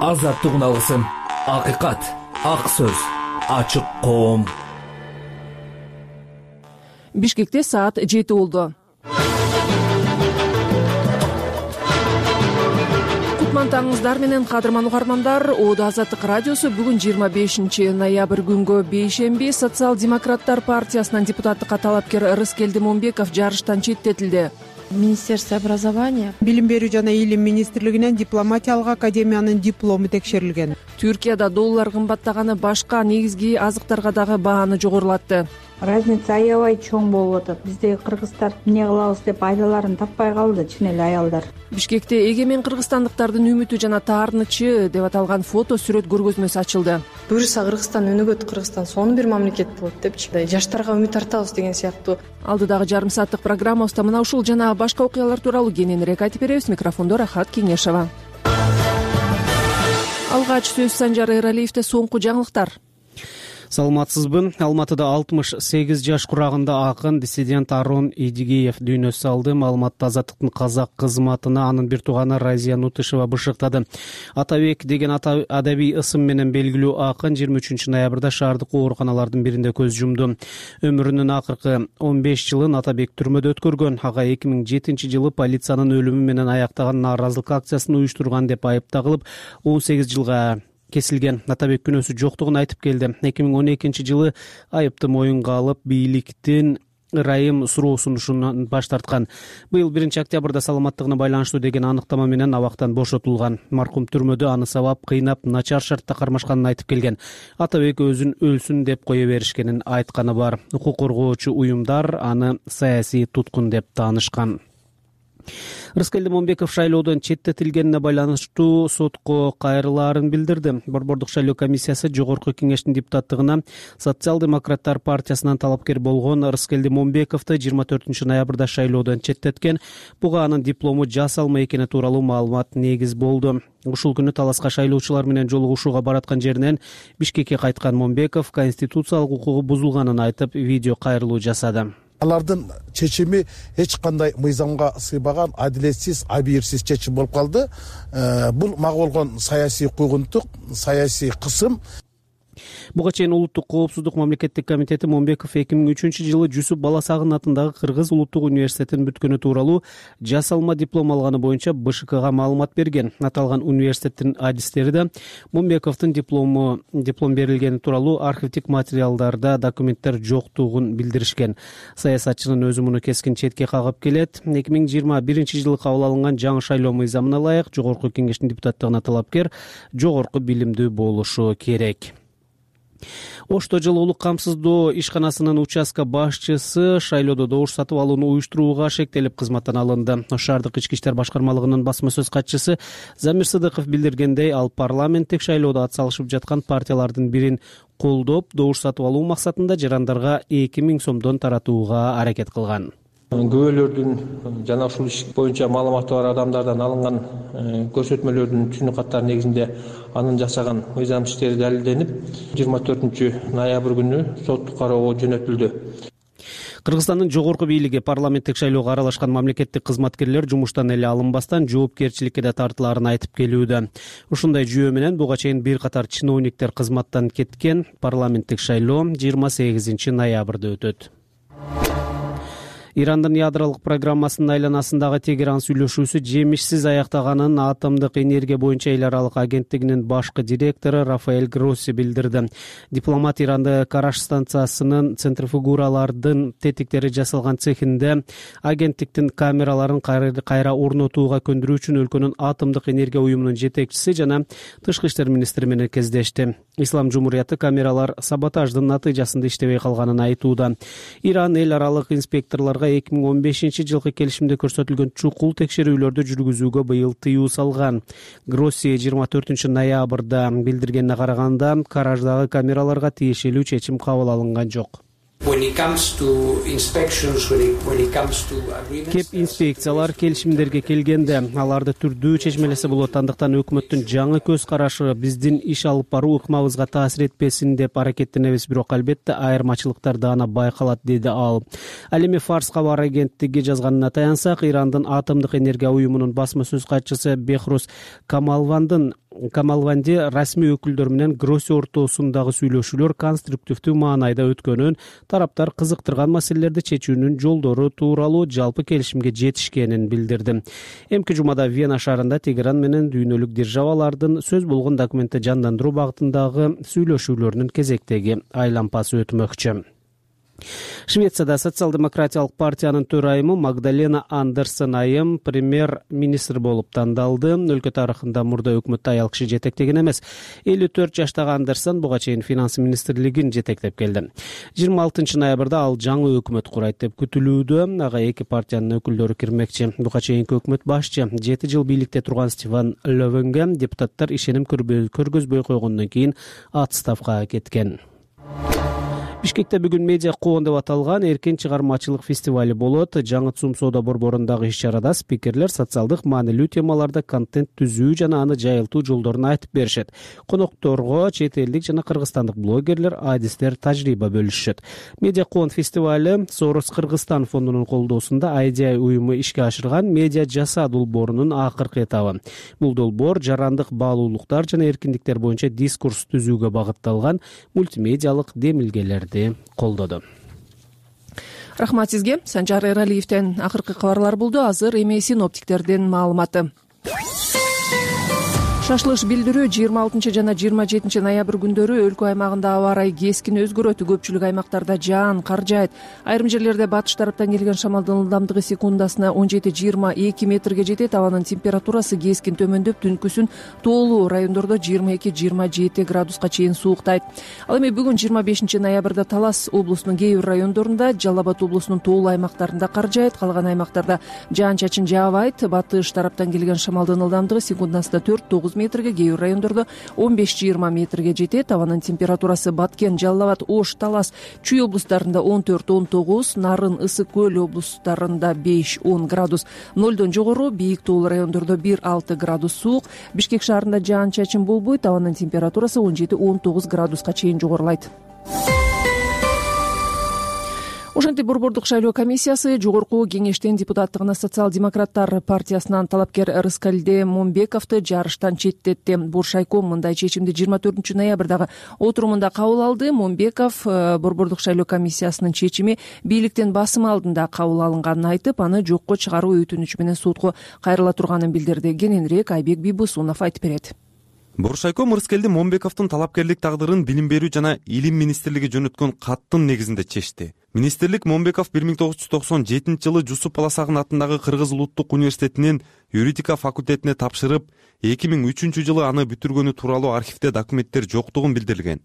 Азаттык алгысым, акыйкат, ак сөз, ачык коом. Бишкекте саат 7 болду. Кутмантаңыздар менен кадырман угармандар. Оодо Азаттык радиосу бүгүн 25 ноябрь күнгө бейшемби Социал-демократтар партиясынан депутаттыкка талапкер Рыскелди Момбеков жарыштан четтетилди. Министерство образования, Билим берүү жана илим министрлигинен дипломатиялык академиянын диплому текшерилген. Түркияда доллар кымбаттаганы башка негизги азыктарга дагы бааны жогорулатты. разница аябай чоң болуп атат. Биздеги кыргыздар эмне кылабыз деп айдаларын таппай калды, чын эле аялдар. Бишкекте эгемен кыргызстандыктардын үмүтү жана таарынычы деп аталган фото сүрөт көргөзмөсү ачылды. Буюрса Кыргызстан өнүгөт, Кыргызстан сонун бир мамлекет болот депчи. Жаштарга үмүт артабыз деген сыяктуу. Алдыдагы жарым сааттык программабызда мына ушул жана башка окуялар тууралуу кененирээк айтып беребиз. Микрофондо Рахат Кеңешова. Алгач сөз Санжар Эралиевде соңку жаңылыктар. Саламатсызбы. Алматыда 68 жаш курагында акын, диссидент Арон Идигеев дүйнө салды. Маалыматты Азаттыктын казак кызматына анын бир тууганы Разия Нутышева бышыктады. Атабек деген адабий ысым менен белгилүү акын 23 ноябрда шаардык ооруканалардын биринде көз жумду. Өмүрүнүн акыркы 15 жылын Атабек түрмөдө өткөргөн. Ага 2007 жылы полициянын өлүмү менен аяктаган нааразылык акциясын уюштурган деп айыпталып 18 жылга кесилген. Атабек күнөөсү жоктугун айтып келди. 2012 жылы айыпты моюнга алып, бийликтин ырайым суроосунушунан баш тарткан. Быйыл 1 октябрда саламаттыгына байланыштуу деген аныктама менен абактан бошотулган. Маркум түрмөдө аны сабап, кыйнап, начар шартта кармашканын айтып келген. Атабек өзүн өлсүн деп кое беришкенин айтканы бар. Укук коргоочу уюмдар аны саясий туткун деп таанышкан. Рыскелди Момбеков шайлоодон четтетилгенине байланыштуу сотко кайрылаарын билдирди. Борбордук шайлоо комиссиясы Жогорку кеңештин депутаттыгына Социал-демократтар партиясынан талапкер болгон Рыскелди Момбековду 24 ноябрда шайлоодон четтеткен. Буга анын диплому жасалма экени тууралуу маалымат негиз болду. Ушул күнү таласка шайлоочулар менен жолугушууга бараткан жеринен Бишкекке кайткан Момбеков конституциялык укугу бузулганын айтып, видео кайрылуу жасады. Алардын чечими эч кандай мыйзамга сыйбаган, адилетсиз, абийирсиз чечим болуп калды. Бул мага болгон саясий куугунтук, саясий кысым. Буга чейин Улуттук коопсуздук мамлекеттик комитети Момбеков 2003 жылы Жусуп Баласагын атындагы Кыргыз улуттук университетин бүткөнү тууралуу жасалма диплом алганы боюнча БШКга маалымат берген. Аталган университеттин адистери да Момбековдун диплом берилгени тууралуу архивдик материалдарда документтер жоктугун билдиришкен. Саясатчынын өзү муну кескин четке кагып келет. 2021 жылы кабыл алынган жаңы шайлоо мыйзамына ылайык Жогорку кеңештин депутаттыгына талапкер жогорку билимдүү болушу керек. Ошто жылы улук камсыздоо ишканасынын участка башчысы шайлоодо добуш сатып алууну уюштурууга шектелип кызматтан алынды. Шаардык ички иштер башкармалыгынын басма сөз катчысы Замир Сыдыков билдиргендей, ал парламенттик шайлоодо ат салышып жаткан партиялардын бирин колдоп, добуш сатып алуу максатында жарандарга 2000 сомдон таратууга аракет кылган. Күбөлөрдүн жана ушул иш боюнча маалыматы бар адамдардан алынган көрсөтмөлөрдүн түнү каттары негизинде анын жасаган мыйзам иштери далилденип 24 ноябрь күнү соттук кароого жөнөтүлдү. Кыргызстандын жогорку бийлиги парламенттик шайлоого аралашкан мамлекеттик кызматкерлер жумуштан эле алынбастан жоопкерчиликке да тартылаарын айтып келүүдө. Ушундай жүйө менен буга чейин бир катар чиновниктер кызматтан кеткен. Парламенттик шайлоо 28 ноябрда өтөт. Ирандын ядролук программасынын айланасындагы Тегеран сүйлөшүүсү жемишсиз аяктаганын Атомдук энергия боюнча эл аралык агенттигинин башкы директору Рафаэль Гросси билдирди. Дипломат Иранды Караш станциясынын центрифугалардын тетиктери жасалган цехинде агенттиктин камераларын кайра орнотууга көндүрүү үчүн өлкөнүн Атомдук энергия уюмунун жетекчиси жана тышкы иштер министри менен кездешти. Ислам Жумурияты камералар саботаждын натыйжасында иштебей калганын айтууда. Иран эл аралык инспекторлорго 2015 жылкы келишимде көрсөтүлгөн чукул текшерүүлөрдү жүргүзүүгө быйыл тыюу салган. Гросси 24 ноябрда билдиргенине караганда, Караждагы камераларга тиешелүү чечим кабыл алынган жок. Кеп инспекциялар келишимдерге келгенде аларды түрдүү чечмелесе болот. Андыктан өкмөттүн жаңы көз карашы биздин иш алып баруу ыкмабызга таасир этпесин деп аракеттенебиз, бирок албетте айырмачылыктар да аны байкалат, деди ал. Ал эми Фарс кабар агенттиги жазганына таянсак, Ирандын Атомдук энергия уюмунун басма сөз катчысы Бехрус Камалвандын Камалванди расмий өкүлдөр менен Гросси ортосундагы сүйлөшүүлөр конструктивдүү маанайда өткөнүн, тараптар кызыктырган маселелерди чечүүнүн жолдору тууралуу жалпы келишимге жетишкенин билдирди. Эмки жумада Вена шаарында Тегеран менен дүйнөлүк державалардын сөз болгон документти жандандыруу багытындагы сүйлөшүүлөрүнүн кезектеги айлампасы өтмөкчү. Швецияда социал-демократиялык партиянын төрайымы Магдалена Андерсон айым премьер-министр болуп тандалды. Өлкө тарыхында мурда өкмөттү аял киши жетектеген эмес. 54 жаштагы Андерсон буга чейин финанс министрлигин жетектеп келди. 26 ноябрда ал жаңы өкмөт курайт деп күтүлүүдө. Ага эки партиянын өкүлдөрү кирмекчи. Буга чейинки өкмөт башчы 7 жыл бийликте турган Стефан Лövенге депутаттар ишеним көргөзбөй койгондон кийин отставкага кеткен. Бишкекте бүгүн медиа коон деп аталган эркин чыгармачылык фестивали болот. Жаңы ЦУМ соода борборундагы иш-чарада спикерлер социалдык маанилүү темаларда контент түзүү жана аны жайылтуу жолдорун айтып беришет. Конокторго чет элдик жана кыргызстандык блогерлер, адистер тажрыйба бөлүшөт. Медиа коон фестивали Soros Кыргызстан фондунун колдоосунда IDI уюму ишке ашырган медиа жасаа долбоорунун акыркы этабы. Бул долбоор жарандык баалуулуктар жана эркиндиктер боюнча дискурс түзүүгө багытталган мультимедиалык демилгелерди колдоду. Рахмат сизге. Санжар Эралиевден акыркы кабарлар болду. Азыр эми синоптиктердин маалыматы. Шашлыш билдирүү 26 жана 27 ноябрь күндөрү өлкө аймагында аба ырайы кескин өзгөрөт. Көпчүлүк аймактарда жаан, кар жаайт. Айрым жерлерде батыш тараптан келген шамалдын ылдамдыгы секундасына 17-22 метрге жетет. Абанын температурасы кескин төмөндөп, түнкүсүн тоолуу райондордо 22-27 градуска чейин сууктайт. Ал эми бүгүн 25 ноябрда Талас облусунун кээ бир райондорунда, Жалал Абад облусунун тоолуу аймактарында кар жаайт. Калган аймактарда жаан-чачын жаабайт. Батыш тараптан келген шамалдын ылдамдыгы секундасына 4-9 метрге, кээ бир райондордо 15-20 метрге жетет. Абанын температурасы Баткен, Жалал Абад, Ош, Талас, Чүй облустарында 14-19, Нарын, Ысык көл облустарында 5-10 градус нолдон жогору, бийик тоолуу райондордо 1-6 градус суук. Бишкек шаарында жаан-чачын болбойт. Абанын температурасы 17-19 градуска чейин жогорулайт. Ошентип борбордук шайлоо комиссиясы жогорку кеңештин депутаттыгына социал-демократтар партиясынан талапкер Рыскелди Момбековду жарыштан четтетти. Буршайком мындай чечимди 24 ноябрдагы отурумунда кабыл алды. Момбеков борбордук шайлоо комиссиясынын чечими бийликтин басымы алдында кабыл алынганын айтып, аны жокко чыгаруу өтүнүчү менен сотко кайрыла турганын билдирди. Кененирээк Айбек Бийбусунов айтып берет. Буршайком Рыскелди Момбековдун талапкерлик тагдырын Билим берүү жана Илим министрлиги жөнөткөн каттын негизинде чечти. Министрлик Момбеков 1997 жылы Жусуп Баласагын атындагы Кыргыз улуттук университетинин юридика факультетине тапшырып, 2003 жылы аны бүтүргөнү тууралуу архивде документтер жоктугун билдирилген.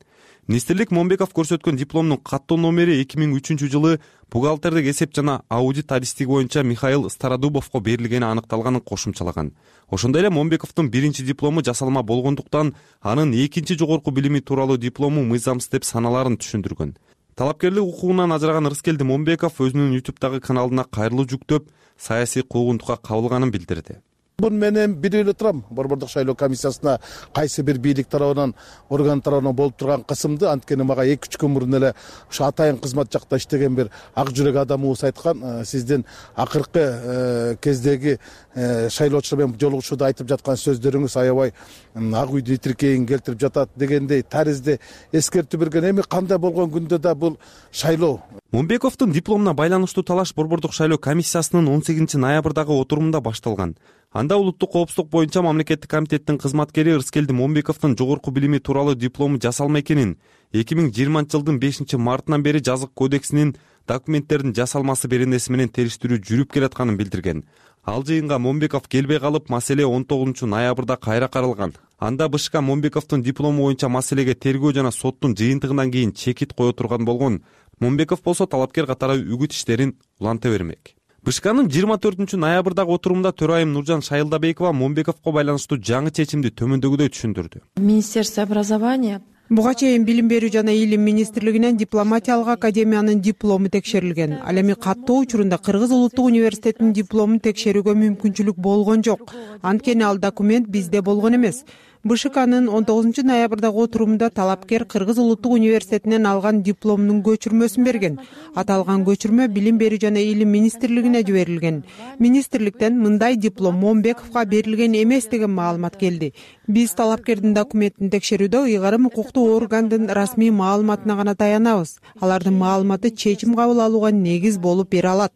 Министрлик Момбеков көрсөткөн дипломдун каттоо номери 2003 жылы бухгалтердик эсеп жана аудит адистиги боюнча Михаил Стародубовго берилгени аныкталганын кошумчалаган. Ошондой эле Момбековдун биринчи диплому жасалма болгондуктан анын экинчи жогорку билими тууралуу диплому мыйзамсыз деп саналарын түшүндүргөн. Талапкерлик укугунан ажыраган Рыскелди Момбеков өзүнүн YouTube'дагы каналына кайрылуу жүктөп, саясий куугунтукка кабылганын билдирди. Бун менен билип эле турам, борбордук шайлоо комиссиясына кайсы бир бийлик тарабынан, орган тарабынан болуп турган кысымды, анткени мага 2-3 күн мурун эле ушу атайын кызмат жакта иштеген бир ак жүрөк адамыбыз айткан, сиздин акыркы кездеги шайлоочулар менен жолугушууда айтып жаткан сөздөрүңүз аябай ак үйдү тиркейин келтирип жатат дегендей таризде эскертүү берген. Эми кандай болгон күндө да бул шайлоо. Момбековдун дипломуна байланыштуу талаш борбордук шайлоо комиссиясынын 18 ноябрдагы отурумунда башталган. Анда улуттук коопсуздук боюнча мамлекеттик комитеттин кызматкери Рыскелди Момбековдун жогорку билими тууралуу диплому жасалма экенин, 2020 жылдын 5 мартынан бери жазык кодексинин документтердин жасалмасы беренеси менен териштирүү жүрүп келатканын билдирген. Ал жыйынга Момбеков келбей калып, маселе 19 ноябрда кайра каралган. Анда БШК Момбековдун диплому боюнча маселеге тергөө жана соттун жыйынтыгынан кийин чекит кое турган болгон. Момбеков болсо талапкер катары үгүт иштерин уланта бермек. БШКнын 24 ноябрдагы отурумунда төрайым Нуржан Шайылдабекова Момбековго байланыштуу жаңы чечимди төмөндөгүдөй түшүндүрдү. Министерство образования Буга чейин Билим берүү жана Илим министрлигинен дипломатиялык академиянын диплому текшерилген. Ал эми каттоо учурунда Кыргыз улуттук университетинин дипломун текшерүүгө мүмкүнчүлүк болгон жок. Анткени ал документ бизде болгон эмес. БШКнын 19 ноябрдагы отурумунда талапкер Кыргыз улуттук университетинен алган дипломунун көчүрмөсүн берген. Аталган көчүрмө Билим берүү жана Илим министрлигине жиберилген. Министрликтен мындай диплом Момбековго берилген эмес деген маалымат келди. Биз талапкердин документин текшерүүдө ыйгарым укуктуу органдын расмий маалыматына гана таянабыз. Алардын маалыматы чечим кабыл алууга негиз болуп бере алат.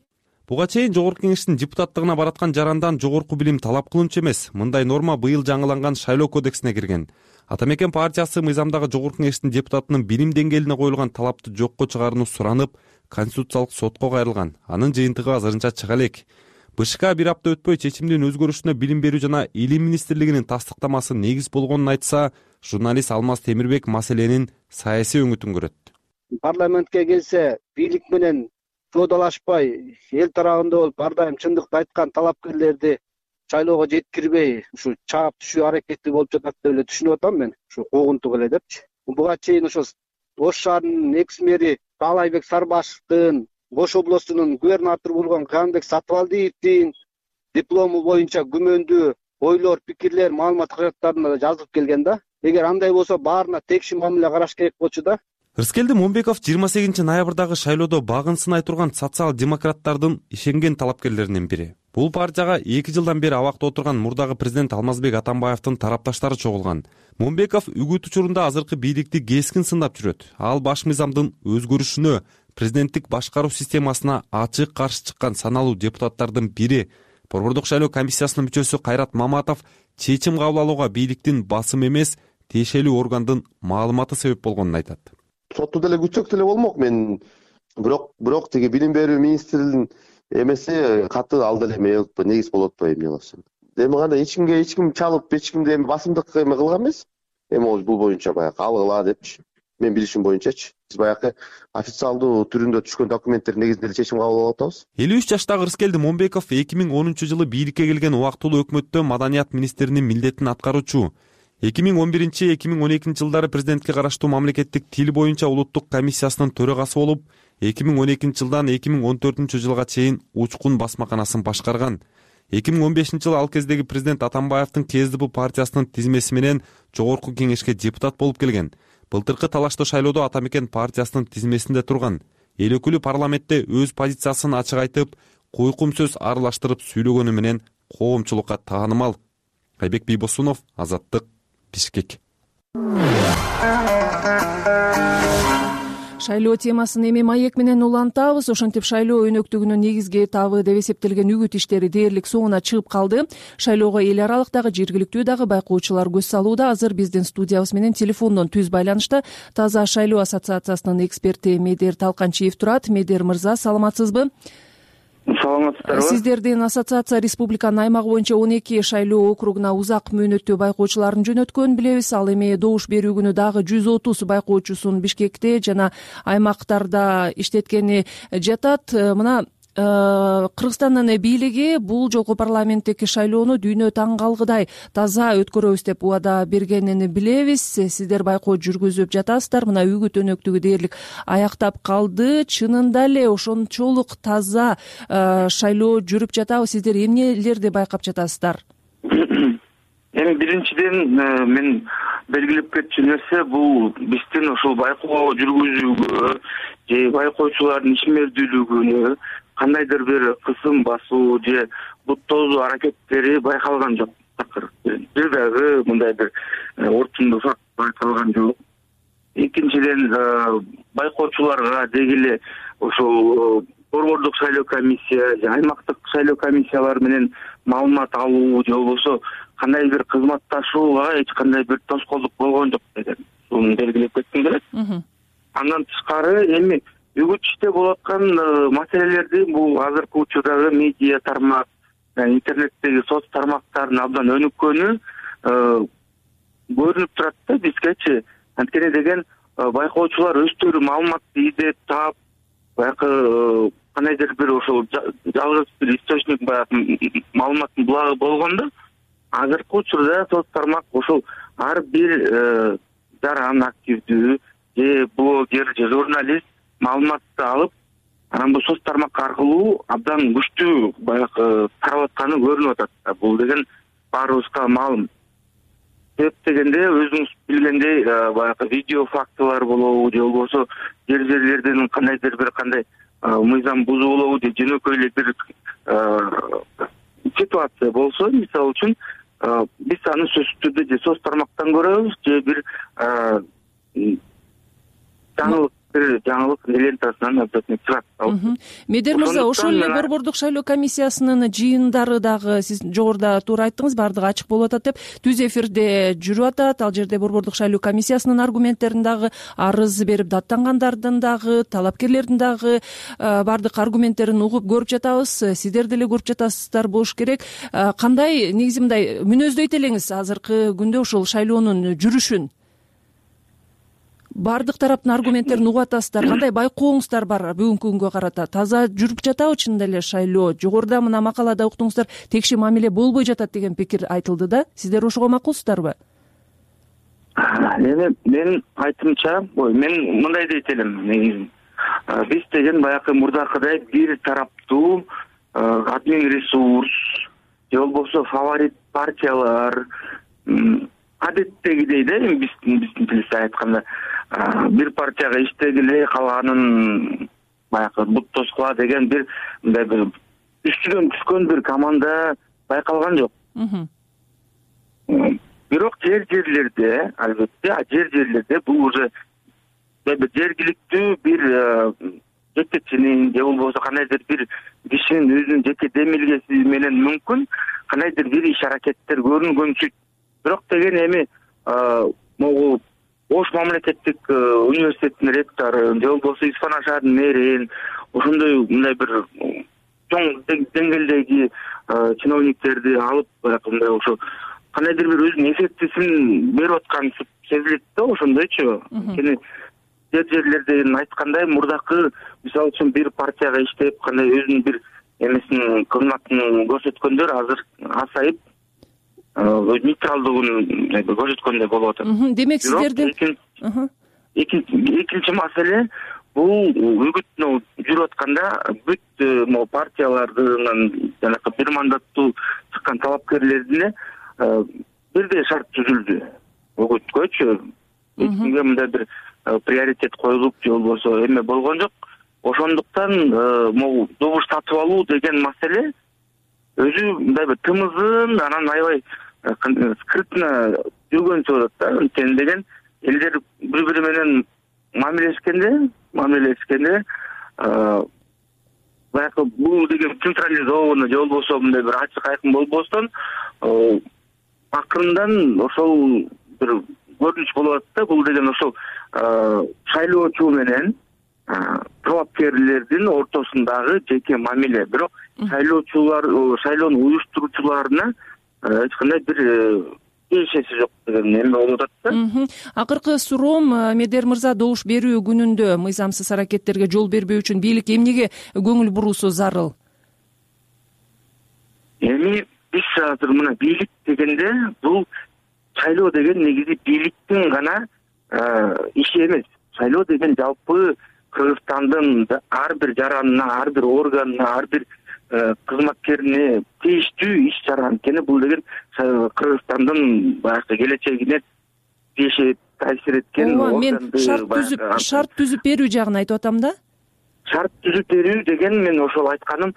Буга чейин Жогорку Кеңештин депутаттыгына бараткан жарандан жогорку билим талап кылынчу эмес. Мындай норма быйыл жаңыланган шайлоо кодексине кирген. Ата мекен партиясы мыйзамдагы Жогорку Кеңештин депутатынын билим деңгээлине коюлган талапты жокко чыгарууну суранып, Конституциялык сотко кайрылган. Анын жыйынтыгы азырынча чыга элек. БШК бир апта өтпөй чечимдин өзгөрүшүнө Билим берүү жана Илим министрлигинин тастыктамасы негиз болгонун айтса, журналист Алмаз Темирбек маселенин саясий өңүтүн көрөт. Парламентке келсе, бийлик менен соодалашпай, эл тарабында болуп, ар дайым чындыкты айткан талапкерлерди шайлоого жеткирбей, ушу чаап түшүү аракети болуп жатат деп эле түшүнүп атам мен. Ушу куугунтук эле депчи. Буга чейин ошо Ош шаарынын экс-мэри Таалайбек Сарбашевдин, Ош областунун губернатору болгон Канбек Сатыбалдиевдин диплому боюнча күмөндүү ойлор, пикирлер маалымат каражаттарында да жазылып келген да. Эгер андай болсо баарына текши мамиле караш керек болчу да. Рыскелди Момбеков 28 ноябрдагы шайлоодо багын сынай турган социал-демократтардын ишенген талапкерлеринин бири. Бул партияга 2 жылдан бери абакта отурган мурдагы президент Алмазбек Атамбаевдин тарапташтары чогулган. Момбеков үгүт учурунда азыркы бийликти кескин сындап жүрөт. Ал баш мыйзамдын өзгөрүшүнө, президенттик башкаруу системасына ачык каршы чыккан саналуу депутаттардын бири. Борбордук шайлоо комиссиясынын мүчөсү Кайрат Маматов чечим кабыл алууга бийликтин басым эмес, тиешелүү органдын маалыматы себеп болгонун айтат. Сотто деле күтсөк деле болмок. Мен бирок тиги Билим берүү министринин эмеси каты ал деле негиз болуп атпайбы эмне кылсам. Эми кандай эч ким чалып, эч кимди эми басымдык кылган эмес. Эми бул боюнча баягы алгыла депчи. Мен билишим боюнчачы. Биз баягы официалдуу түрүндө түшкөн документтер негизинде чечим кабыл алып атабыз. 53 жаштагы Рыскелди Момбеков 2010 жылы бийликке келген убактылуу өкмөттө маданият министринин милдетин аткаруучу. 2011-2012 жылдары президентке караштуу мамлекеттик тил боюнча улуттук комиссиясынын төрагасы болуп, 2012 жылдан 2014 жылга чейин Учкун басмаканасын башкарган. 2015 жылы ал кездеги президент Атамбаевдин КСДП партиясынын тизмеси менен Жогорку Кеңешке депутат болуп келген. Былтыркы талаштуу шайлоодо Ата мекен партиясынын тизмесинде турган. Эл өкүлү парламентте өз позициясын ачык айтып, койкум сөз аралаштырып сүйлөгөнү менен коомчулукка таанымал. Айбек Бийбосунов, Азаттык, Бишкек. Шайлоо темасын эми маек менен улантабыз. Ошентип шайлоо өнөктүгүнүн негизги этабы деп эсептелген үгүт иштери дээрлик соңуна чыгып калды. Шайлоого эл аралык дагы жергиликтүү дагы байкоочулар көз салууда. Азыр биздин студиябыз менен телефондон түз байланышта Таза шайлоо ассоциациясынын эксперти Медер Талканчиев турат. Медер мырза, саламатсызбы? Саламатсыздарбы? Сиздердин ассоциация республиканын аймагы боюнча 12 шайлоо округуна узак мөөнөттүү байкоочуларын жөнөткөн билебиз. Ал эми добуш берүү күнү дагы 130 байкоочусун Бишкекте жана аймактарда иштеткени жатат. Мына Кыргызстандын бийлиги бул жолку парламенттики шайлоону дүйнө таң калгыдай таза өткөрөбүз деп убада бергенин билебиз. Сиздер байкоо жүргүзүп жатасыздар. Мына үгүт өнөктүгү дээрлик аяктап калды. Чынында эле ошончолук таза шайлоо жүрүп жатабы? Сиздер эмнелерди байкап жатасыздар? Эми биринчиден мен белгилеп кетчү нерсе бул биздин ушул байкоо жүргүзүүгө же байкоочулардын ишмердүүлүгүнө кандайдыр бир кысым басуу же буттоозуу аракеттери байкалган жок. Бир дагы мындай бир орчундуу факт байкалган жок. Экинчиден байкоочуларга деги эле ошол борбордук шайлоо комиссия же аймактык шайлоо комиссиялар менен маалымат алуу же болбосо кандай бир кызматташууга эч кандай бир тоскоолдук болгон жок деген буну белгилеп кетким келет. Андан тышкары эми үгүт иште болуп аткан маселелерди бул азыркы учурдагы медиа тармак, интернеттеги соц тармактардын абдан өнүккөнү көрүнүп турат да бизгечи. Анткени деген байкоочулар өздөрү маалыматты издеп таап, баягы кандайдыр бир ошол жалгыз бир источник баягы маалыматтын булагы болгондо, азыркы учурда соц тармак ошол ар бир жаран активдүү же блогер же журналист маалыматты алып, анан бул соц тармак аркылуу абдан күчтүү баягы тарап атканы көрүнүп атат. Бул деген баарыбызга маалым. себеп дегенде өзүңүз билгендей баягы видео фактылар болобу же болбосо жерлерден кандайдыр бир кандай мыйзам бузуу болобу же жөнөкөй эле бир ситуация болсо, мисалы үчүн биз аны сөзсүз түрдө же соц тармактан көрөбүз же бир жаңылык лентасынан обязательно чыгат. Медер мырза, ошол эле Борбордук шайлоо комиссиясынын жыйындары дагы сиз жогоруда туура айттыңыз, баардыгы ачык болуп атат деп түз эфирде жүрүп атат. Ал жерде Борбордук шайлоо комиссиясынын аргументтерин дагы, арыз берип даттангандардын дагы, талапкерлердин дагы баардык аргументтерин угуп көрүп жатабыз. Сиздер деле көрүп жатасыздар болуш керек. Кандай негизи мындай мүнөздөйт элеңиз азыркы күндө ушул шайлоонун жүрүшүн? Баардык тараптын аргументтерин угуп атасыздар. Кандай байкооңуздар бар бүгүнкү күнгө карата? Таза жүрүп жатабы чынында эле шайлоо? Жогоруда мына макалада уктуңуздар, текши мамиле болбой жатат деген пикир айтылды да. Сиздер ошого макулсуздарбы? Эми менин айтымча, мен мындай дейт элем. Биз деген баягы мурдакыдай бир тараптуу админ ресурс же болбосо фаворит партиялар адеттегидей да, биздин тилибизде айтканда бир партияга иштегиле, калганын баягы бут тоскула деген бир мындай бир үстүнөн түшкөн бир команда байкалган жок. Бирок жерлерде, албетте, жерлерде бул уже жергиликтүү бир жетекчинин же болбосо кандайдыр бир кишинин өзүнүн жеке демилгеси менен мүмкүн кандайдыр бир иш аракеттер көрүнгөнсүт. Бирок деген эми могу Ош мамлекеттик университеттин ректору же болбосо Испана шаарынын мэрин, ошондой мындай бир чоң деңгээлдеги чиновниктерди алып мындай ошо кандайдыр бир өзүнүн эффектисин берип аткан сезилет да, ошондойчу. Анткени жерлерден айткандай мурдакы мисалы үчүн бир партияга иштеп кандай өзүнүн бир эмесин кызматын көрсөткөндөр азыр азайып нейтралдыгын көрсөткөндөй болуп атат. Демек сиздердин экинчи маселе бул үгүт жүрүп атканда бүт могу партиялардын жанакы бир мандаттуу чыккан талапкерлерине бирдей шарт түзүлдү. Үгүткөчү эчкимге мындай бир приоритет коюлуп же болбосо эме болгон жок. Ошондуктан могу добуш сатып алуу деген маселе өзү мындай бир тымызын анан аябай скрытно жүргөнчү болот да. Анткени деген элдер бири-бири менен мамилелешкенде баягы бул деген централизованный же болбосо мындай бир ачык айкын болбостон акырындан ошол бир көрүнүш болуп атат да. Бул деген ошол шайлоочу менен талапкерлердин ортосундагы жеке мамиле. Бирок шайлоону уюштуруучуларына эч кандай бир тиешеси жок деген эме болуп атат да. Акыркы суроом, Медер мырза, добуш берүү күнүндө мыйзамсыз аракеттерге жол бербөө үчүн бийлик эмнеге көңүл буруусу зарыл? Эми биз азыр мына бийлик дегенде бул шайлоо деген негизи бийликтин гана иши эмес. Шайлоо деген жалпы Кыргызстандын ар бир жаранына, ар бир органына, ар бир кызматкерине тийиштүү иш чара. Анткени бул деген Кыргызстандын баягы келечегине таасир эткен. Мен шарт түзүп берүү жагын айтып атам да. Шарт түзүп берүү деген мен ошол айтканым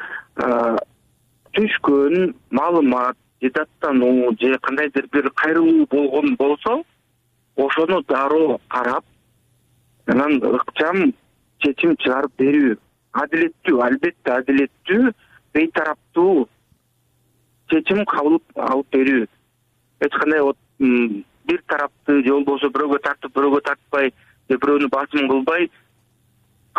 түшкөн маалымат же даттануу же кандайдыр бир кайрылуу болгон болсо ошону дароо карап анан ыкчам чечим чыгарып берүү. Адилеттүү, албетте адилеттүү, бейтараптуу чечим кабыл алып берүү. Эч кандай бир тарапты же болбосо бирөөгө тартып, бирөөгө тартпай, же бирөөнү басым кылбай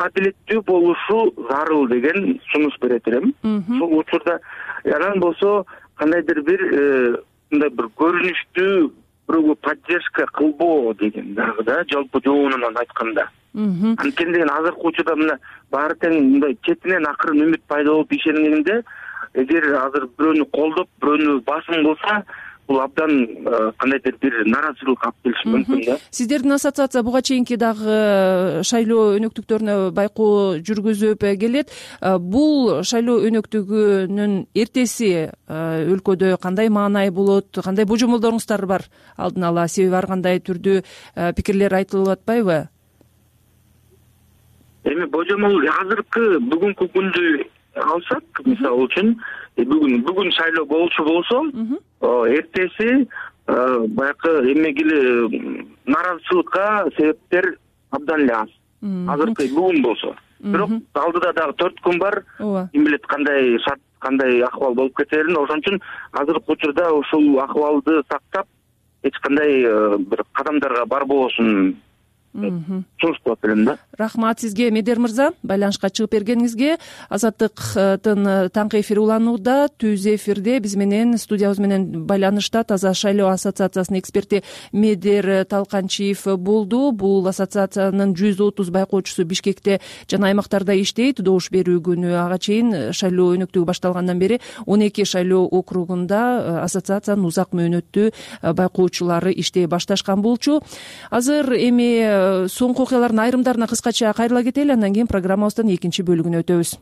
адилеттүү болушу зарыл деген сунуш берет элем. Ошол учурда анан болсо кандайдыр бир мындай бир көрүнүштүү бирөөгө поддержка кылбоо деген дагы да, жалпы жоонунан айтканда. Анткени деген азыркы учурда мына баары тең мындай четинен акырын үмүт пайда болуп ишенгенде, эгер азыр бирөөнү колдоп, бирөөнү басым кылса, бул абдан кандайдыр бир нааразычылык алып келиши мүмкүн да. Сиздердин ассоциация буга чейинки дагы шайлоо өнөктүктөрүнө байкоо жүргүзүп келет. Бул шайлоо өнөктүгүнүн эртеси өлкөдө кандай маанай болот, кандай божомолдоруңуздар бар алдын ала? Себеби ар кандай түрдүү пикирлер айтылып атпайбы? Эми божомол азыркы бүгүнкү күндү алсак, мисалы үчүн бүгүн шайлоо болчу болсо, эртеси баягы эмеге эле нааразычылыкка себептер абдан эле аз. Азыркы бүгүн болсо. Бирок алдыда дагы 4 күн бар. Ким билет кандай шарт, кандай акыбал болуп кетерин. Ошон үчүн азыркы учурда ушул акыбалды сактап, эч кандай бир кадамдарга барбоосун сунуш кылып элем да. Рахмат сизге, Медер мырза, байланышка чыгып бергениңизге. Азаттыктын таңкы эфири уланууда. Түз эфирде биз менен, студиябыз менен байланышта Таза шайлоо ассоциациясынын эксперти Медер Талканчиев болду. Бул ассоциациянын 130 байкоочусу Бишкекте жана аймактарда иштейт. Добуш берүү күнү ага чейин шайлоо өнөктүгү башталгандан бери 12 шайлоо округунда ассоциациянын узак мөөнөттүү байкоочулары иштей башташкан болчу. Азыр эми соңку окуялардын айрымдарына кыскача кайрыла кетели, андан кийин программабыздын экинчи бөлүгүнө өтөбүз.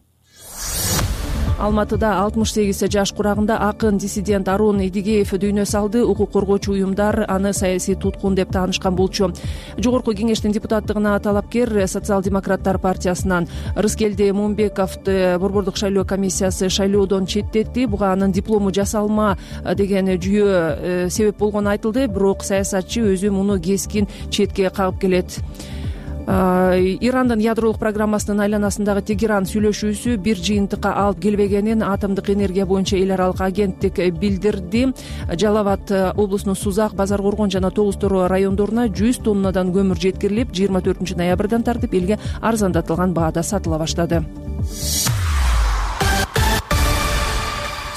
Алматыда 68 жаш курагында акын диссидент Арун Идигеев дүйнө салды. Укук коргоочу уюмдар аны саясий туткун деп таанышкан болчу. Жогорку кеңештин депутаттыгына талапкер Социал-демократтар партиясынан Рыскелди Момбековду Борбордук шайлоо комиссиясы шайлоодон четтетти. Буга анын диплому жасалма деген жүйө себеп болгону айтылды, бирок саясатчы өзү муну кескин четке кагып келет. Ирандын ядролук программасынын айланасындагы Тегеран сүйлөшүүсү бир жыйынтыкка алып келбегенин атомдук энергия боюнча эл аралык агенттик билдирди. Жалал абад облусунун Сузак, Базар Коргон жана Тогуз Тороо райондоруна 100 тоннадан көмүр жеткирилип, 24 ноябрдан тартып элге арзандатылган баада сатыла баштады.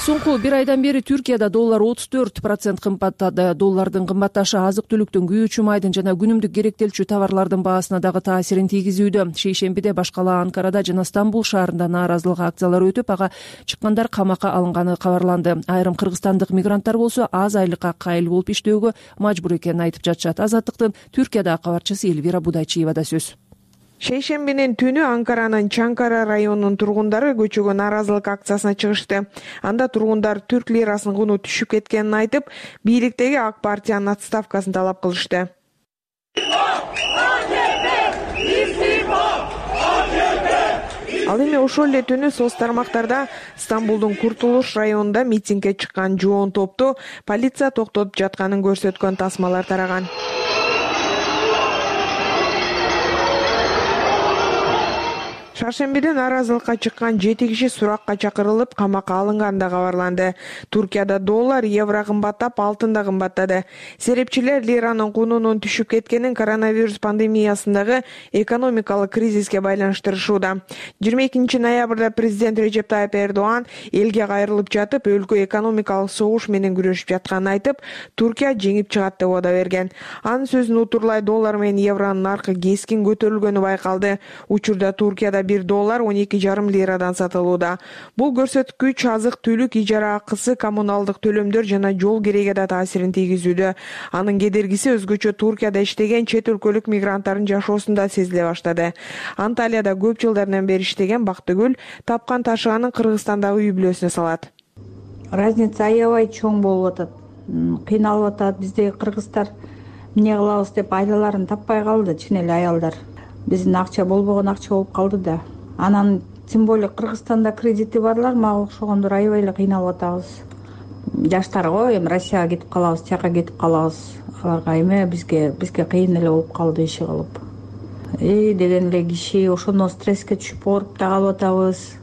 Соңку бир айдан бери Түркияда доллар 34% кымбаттады. Доллардын кымбатташы азык-түлүктүн, күйүүчү майдын жана күнүмдүк керектелчү товарлардын баасына дагы таасирин тийгизүүдө. Шейшембиде баш кала Анкарада жана Стамбул шаарында нааразылык акциялары өтүп, ага чыккандар камакка алынганы кабарланды. Айрым кыргызстандык мигранттар болсо аз айлыкка кайыл болуп иштөөгө мажбур экенин айтып жатышат. Азаттыктын Түркиядагы кабарчысы Элвира Будайчиевада сөз. Шейшембинин түнү Анкаранын Чанкара районунун тургундары көчөгө нааразылык акциясына чыгышты. Анда тургундар түрк лирасынын куну түшүп кеткенин айтып, бийликтеги ак партиянын отставкасын талап кылышты. Ал эми ошол эле түнү соц тармактарда Стамбулдун Куртулуш районунда митингге чыккан жоон топту полиция токтотуп жатканын көрсөткөн тасмалар тараган. Шаршембиде нааразылыкка чыккан 7 киши суракка чакырылып, камакка алынганы да кабарланды. Туркияда доллар, евро кымбаттап, алтын да кымбаттады. Серепчилер лиранын кунунун түшүп кеткенин коронавирус пандемиясындагы экономикалык кризиске байланыштырышууда. 22 ноябрда президент Режеп Тайып Эрдоан элге кайрылып жатып, өлкө экономикалык согуш менен күрөшүп жатканын айтып, Туркия жеңип чыгат деп убада берген. Анын сөзүн утурлай доллар менен евронун наркы кескин көтөрүлгөнү байкалды. Учурда Туркияда $1 12,5 лирадан сатылууда. Бул көрсөткүч азык-түлүк, ижара акысы, коммуналдык төлөмдөр жана жол кереге да таасирин тийгизүүдө. Анын кедергиси өзгөчө Туркияда иштеген чет өлкөлүк мигранттардын жашоосунда сезиле баштады. Анталияда көп жылдардан бери иштеген Бактыгүл тапкан ташыганын Кыргызстандагы үй бүлөсүнө салат. Разница аябай чоң болуп атат. Кыйналып атат. Биздеги кыргыздар эмне кылабыз деп айдаларын таппай калды, чын эле аялдар. Биздин акча болбогон акча болуп калды да. Анан тем более Кыргызстанда кредити барлар мага окшогондор аябай эле кыйналып атабыз. Жаштарго эми Россияга кетип калабыз, тияка кетип калабыз. Аларга эме бизге кыйын эле болуп калды иши кылып. Деген эле киши ошондон стресске түшүп ооруп да калып атабыз.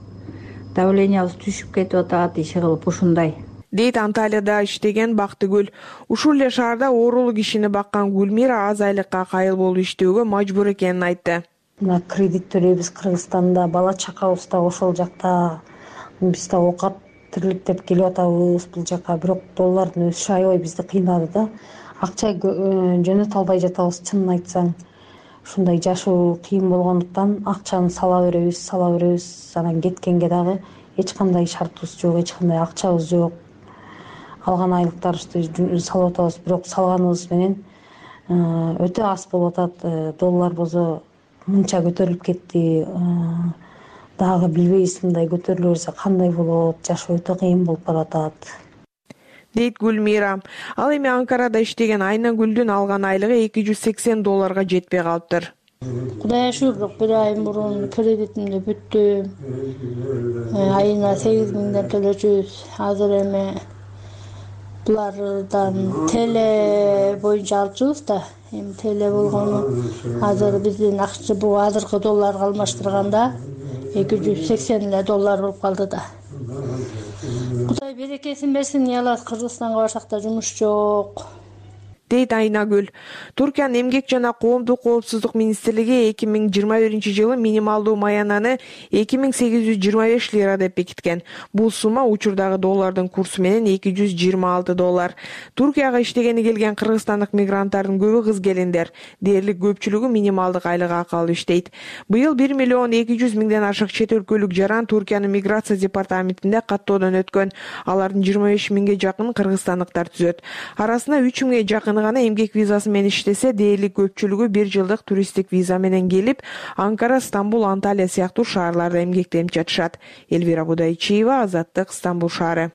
Давлениябыз түшүп кетип атат иши кылып ушундай. Дейт Анталияда иштеген Бактыгүл. Ушул эле шаарда оорулуу кишини баккан Гүлмира аз айлыкка кайыл болуп иштөөгө мажбур экенин айтты. Мына кредит төлөйбүз Кыргызстанда, бала чакабыз да ошол жакта. Биз да оокат тирликтеп келип атабыз бул жака, бирок доллардын өсүшү аябай бизди кыйнады да. Акча жөнөтө албай жатабыз, чынын айтсаң. Ушундай жашоо кыйын болгондуктан акчаны сала беребиз. Анан кеткенге дагы эч кандай шартыбыз жок, эч кандай акчабыз жок. алган айлыктарыбызды салып атабыз, бирок салганыбыз менен өтө аз болуп атат. Доллар болсо мынча көтөрүлүп кетти. Дагы билбейбиз, мындай көтөрүлө берсе кандай болот, жашоо өтө кыйын болуп баратат, дейт Гүлмира. Ал эми Анкарада иштеген Айнагүлдүн алган айлыгы $280 жетпей калыптыр. Кудайга шүгүр, бирок бир ай мурун кредитимди бүттү. Айына 8.000 төлөчүбүз. Азыр эми булардан теле боюнча алчубуз да. Эми теле болгону азыр биздин акча бул азыркы долларга алмаштырганда $280 болуп калды да. Кудай берекесин берсин, уялат, Кыргызстанга барсак да жумуш жок, дейт Айнагүл. Туркиянын эмгек жана коомдук коопсуздук министрлиги 2021-жылы минималдуу маянаны 2825 лира деп бекиткен. Бул сумма учурдагы доллардын курсу менен $226. Туркияга иштегени келген кыргызстандык мигранттардын көбү кыз келиндер. Дээрлик көпчүлүгү минималдык айлык акы алып иштейт. Быйыл 1.200.000 ашык чет өлкөлүк жаран Туркиянын миграция департаментинде каттоодон өткөн. Алардын 25.000ге жакын кыргызстандыктар түзөт. Арасында 3.000ге жакын гана эмгек визасы менен иштесе, дээрлик көпчүлүгү 1 жылдык туристтик виза менен келип, Анкара, Стамбул, Анталия сыяктуу шаарларда эмгектенип жатышат. Элвира Будайчиева, Азаттык, Стамбул шаары.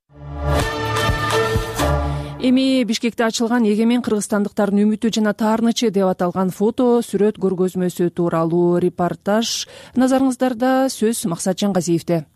Эми Бишкекте ачылган Эгемен кыргызстандыктардын үмүтү жана таарынычы деп аталган фото сүрөт көргөзмөсү тууралуу репортаж назарыңыздарда. Сөз Максат Жангазиевде.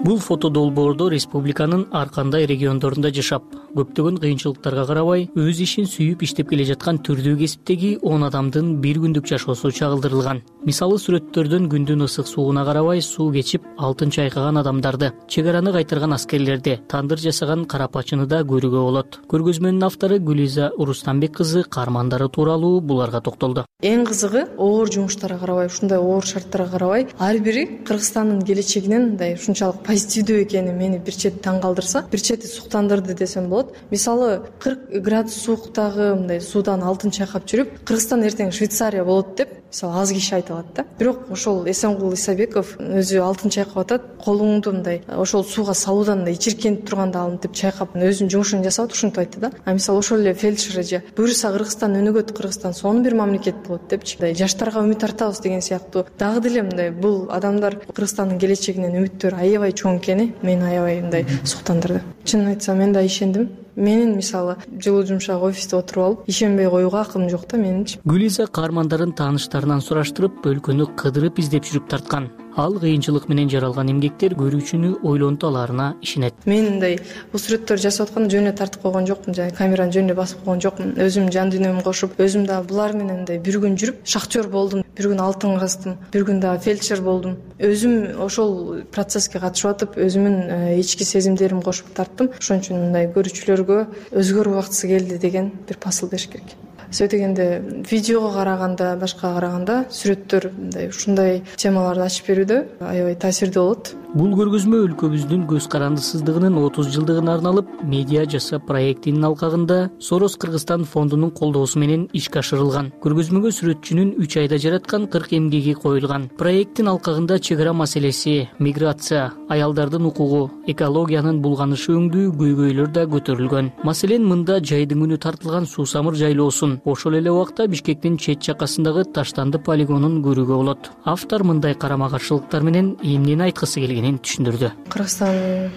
Бул фото долбоордо республиканын ар кандай региондорунда жашап, көптөгөн кыйынчылыктарга карабай, өз ишин сүйүп иштеп келе жаткан түрдүү кесиптеги 10 адамдын бир күндүк жашоосу чагылдырылган. Мисалы, сүрөттөрдөн күндүн ысык сууна карабай суу кечип, алтын чайкаган адамдарды, чек араны кайтарган аскерлерди, тандыр жасаган карапачыны да көрүүгө болот. Көргөзмөнүн автору Гүлиза Урустамбек кызы каармандары тууралуу буларга токтолду. Эң кызыгы, оор жумуштарга карабай, ушундай оор шарттарга карабай, ар бири Кыргызстандын келечегинен мындай ушунчалык позитивдүү экени мени бир чети таң калтырса, бир чети суктандырды десем болот. Мисалы, 40 градус сууктагы мындай суудан алтын чайкап жүрүп, Кыргызстан эртең Швейцария болот деп, мисалы, аз киши айта алат да. Бирок ошол Эсенгул Исабеков өзү алтын чайкап атат, колуңду мындай ошол сууга салуудан мындай ичиркенип турганда алтынтип чайкап, өзүнүн жумушун жасап ушинтип айтты да. А мисалы, ошол эле фельдшер эже буюрса Кыргызстан өнүгөт, Кыргызстан сонун бир мамлекет болот депчи, жаштарга үмүт артабыз деген сыяктуу. Дагы деле мындай бул адамдар Кыргызстандын келечегинен үмүттөрү аябай чоң экени мени аябай мындай суктандырды. Чынын айтсам, мен да ишендим. Менин мисалы жылуу жумшак офисте отуруп алып, ишенбей коюуга акылым жок да менинчи. Гүлиза каармандарын тааныштарынан сураштырып, өлкөнү кыдырып издеп жүрүп тарткан. Ал кыйынчылык менен жаралган эмгектер көрүүчүнү ойлонто аларына ишенет. Мен мындай бул сүрөттөрдү жасап атканда жөн эле тартып койгон жокмун, жана камераны жөн эле басып койгон жокмун. Өзүм жан дүйнөмдү кошуп, өзүм да булар менен мындай бир күн жүрүп, шахтер болдум, бир күн алтын каздым, бир күн дагы фельдшер болдум. Өзүм ошол процесске катышып атып, өзүмүн ички сезимдеримди кошуп тарттым. Ошон үчүн мындай көрүүчүлөргө өзгөрүү убактысы келди деген бир посыл бериш керек. Сөй дегенде видеого караганда, башка караганда сүрөттөр мындай ушундай темаларды ачып берүүдө аябай таасирдүү болот. Бул көргөзмө өлкөбүздүн көз карандысыздыгынын 30 жылдыгына арналып, медиа жаса проектинин алкагында Сорос Кыргызстан фондунун колдоосу менен ишке ашырылган. Көргөзмөгө сүрөтчүнүн 3 айда жараткан 40 эмгеги коюлган. Проекттин алкагында чек ара маселеси, миграция, аялдардын укугу, экологиянын булганышы өңдүү көйгөйлөр да көтөрүлгөн. Маселен, мында жайдын күнү тартылган суусамыр жайлоосун, ошол эле убакта Бишкектин чет жакасындагы Таштанды полигонун көрүүгө болот. Автор мындай карама каршылыктар менен эмнени айткысы келгенин түшүндүрдү. Кыргызстан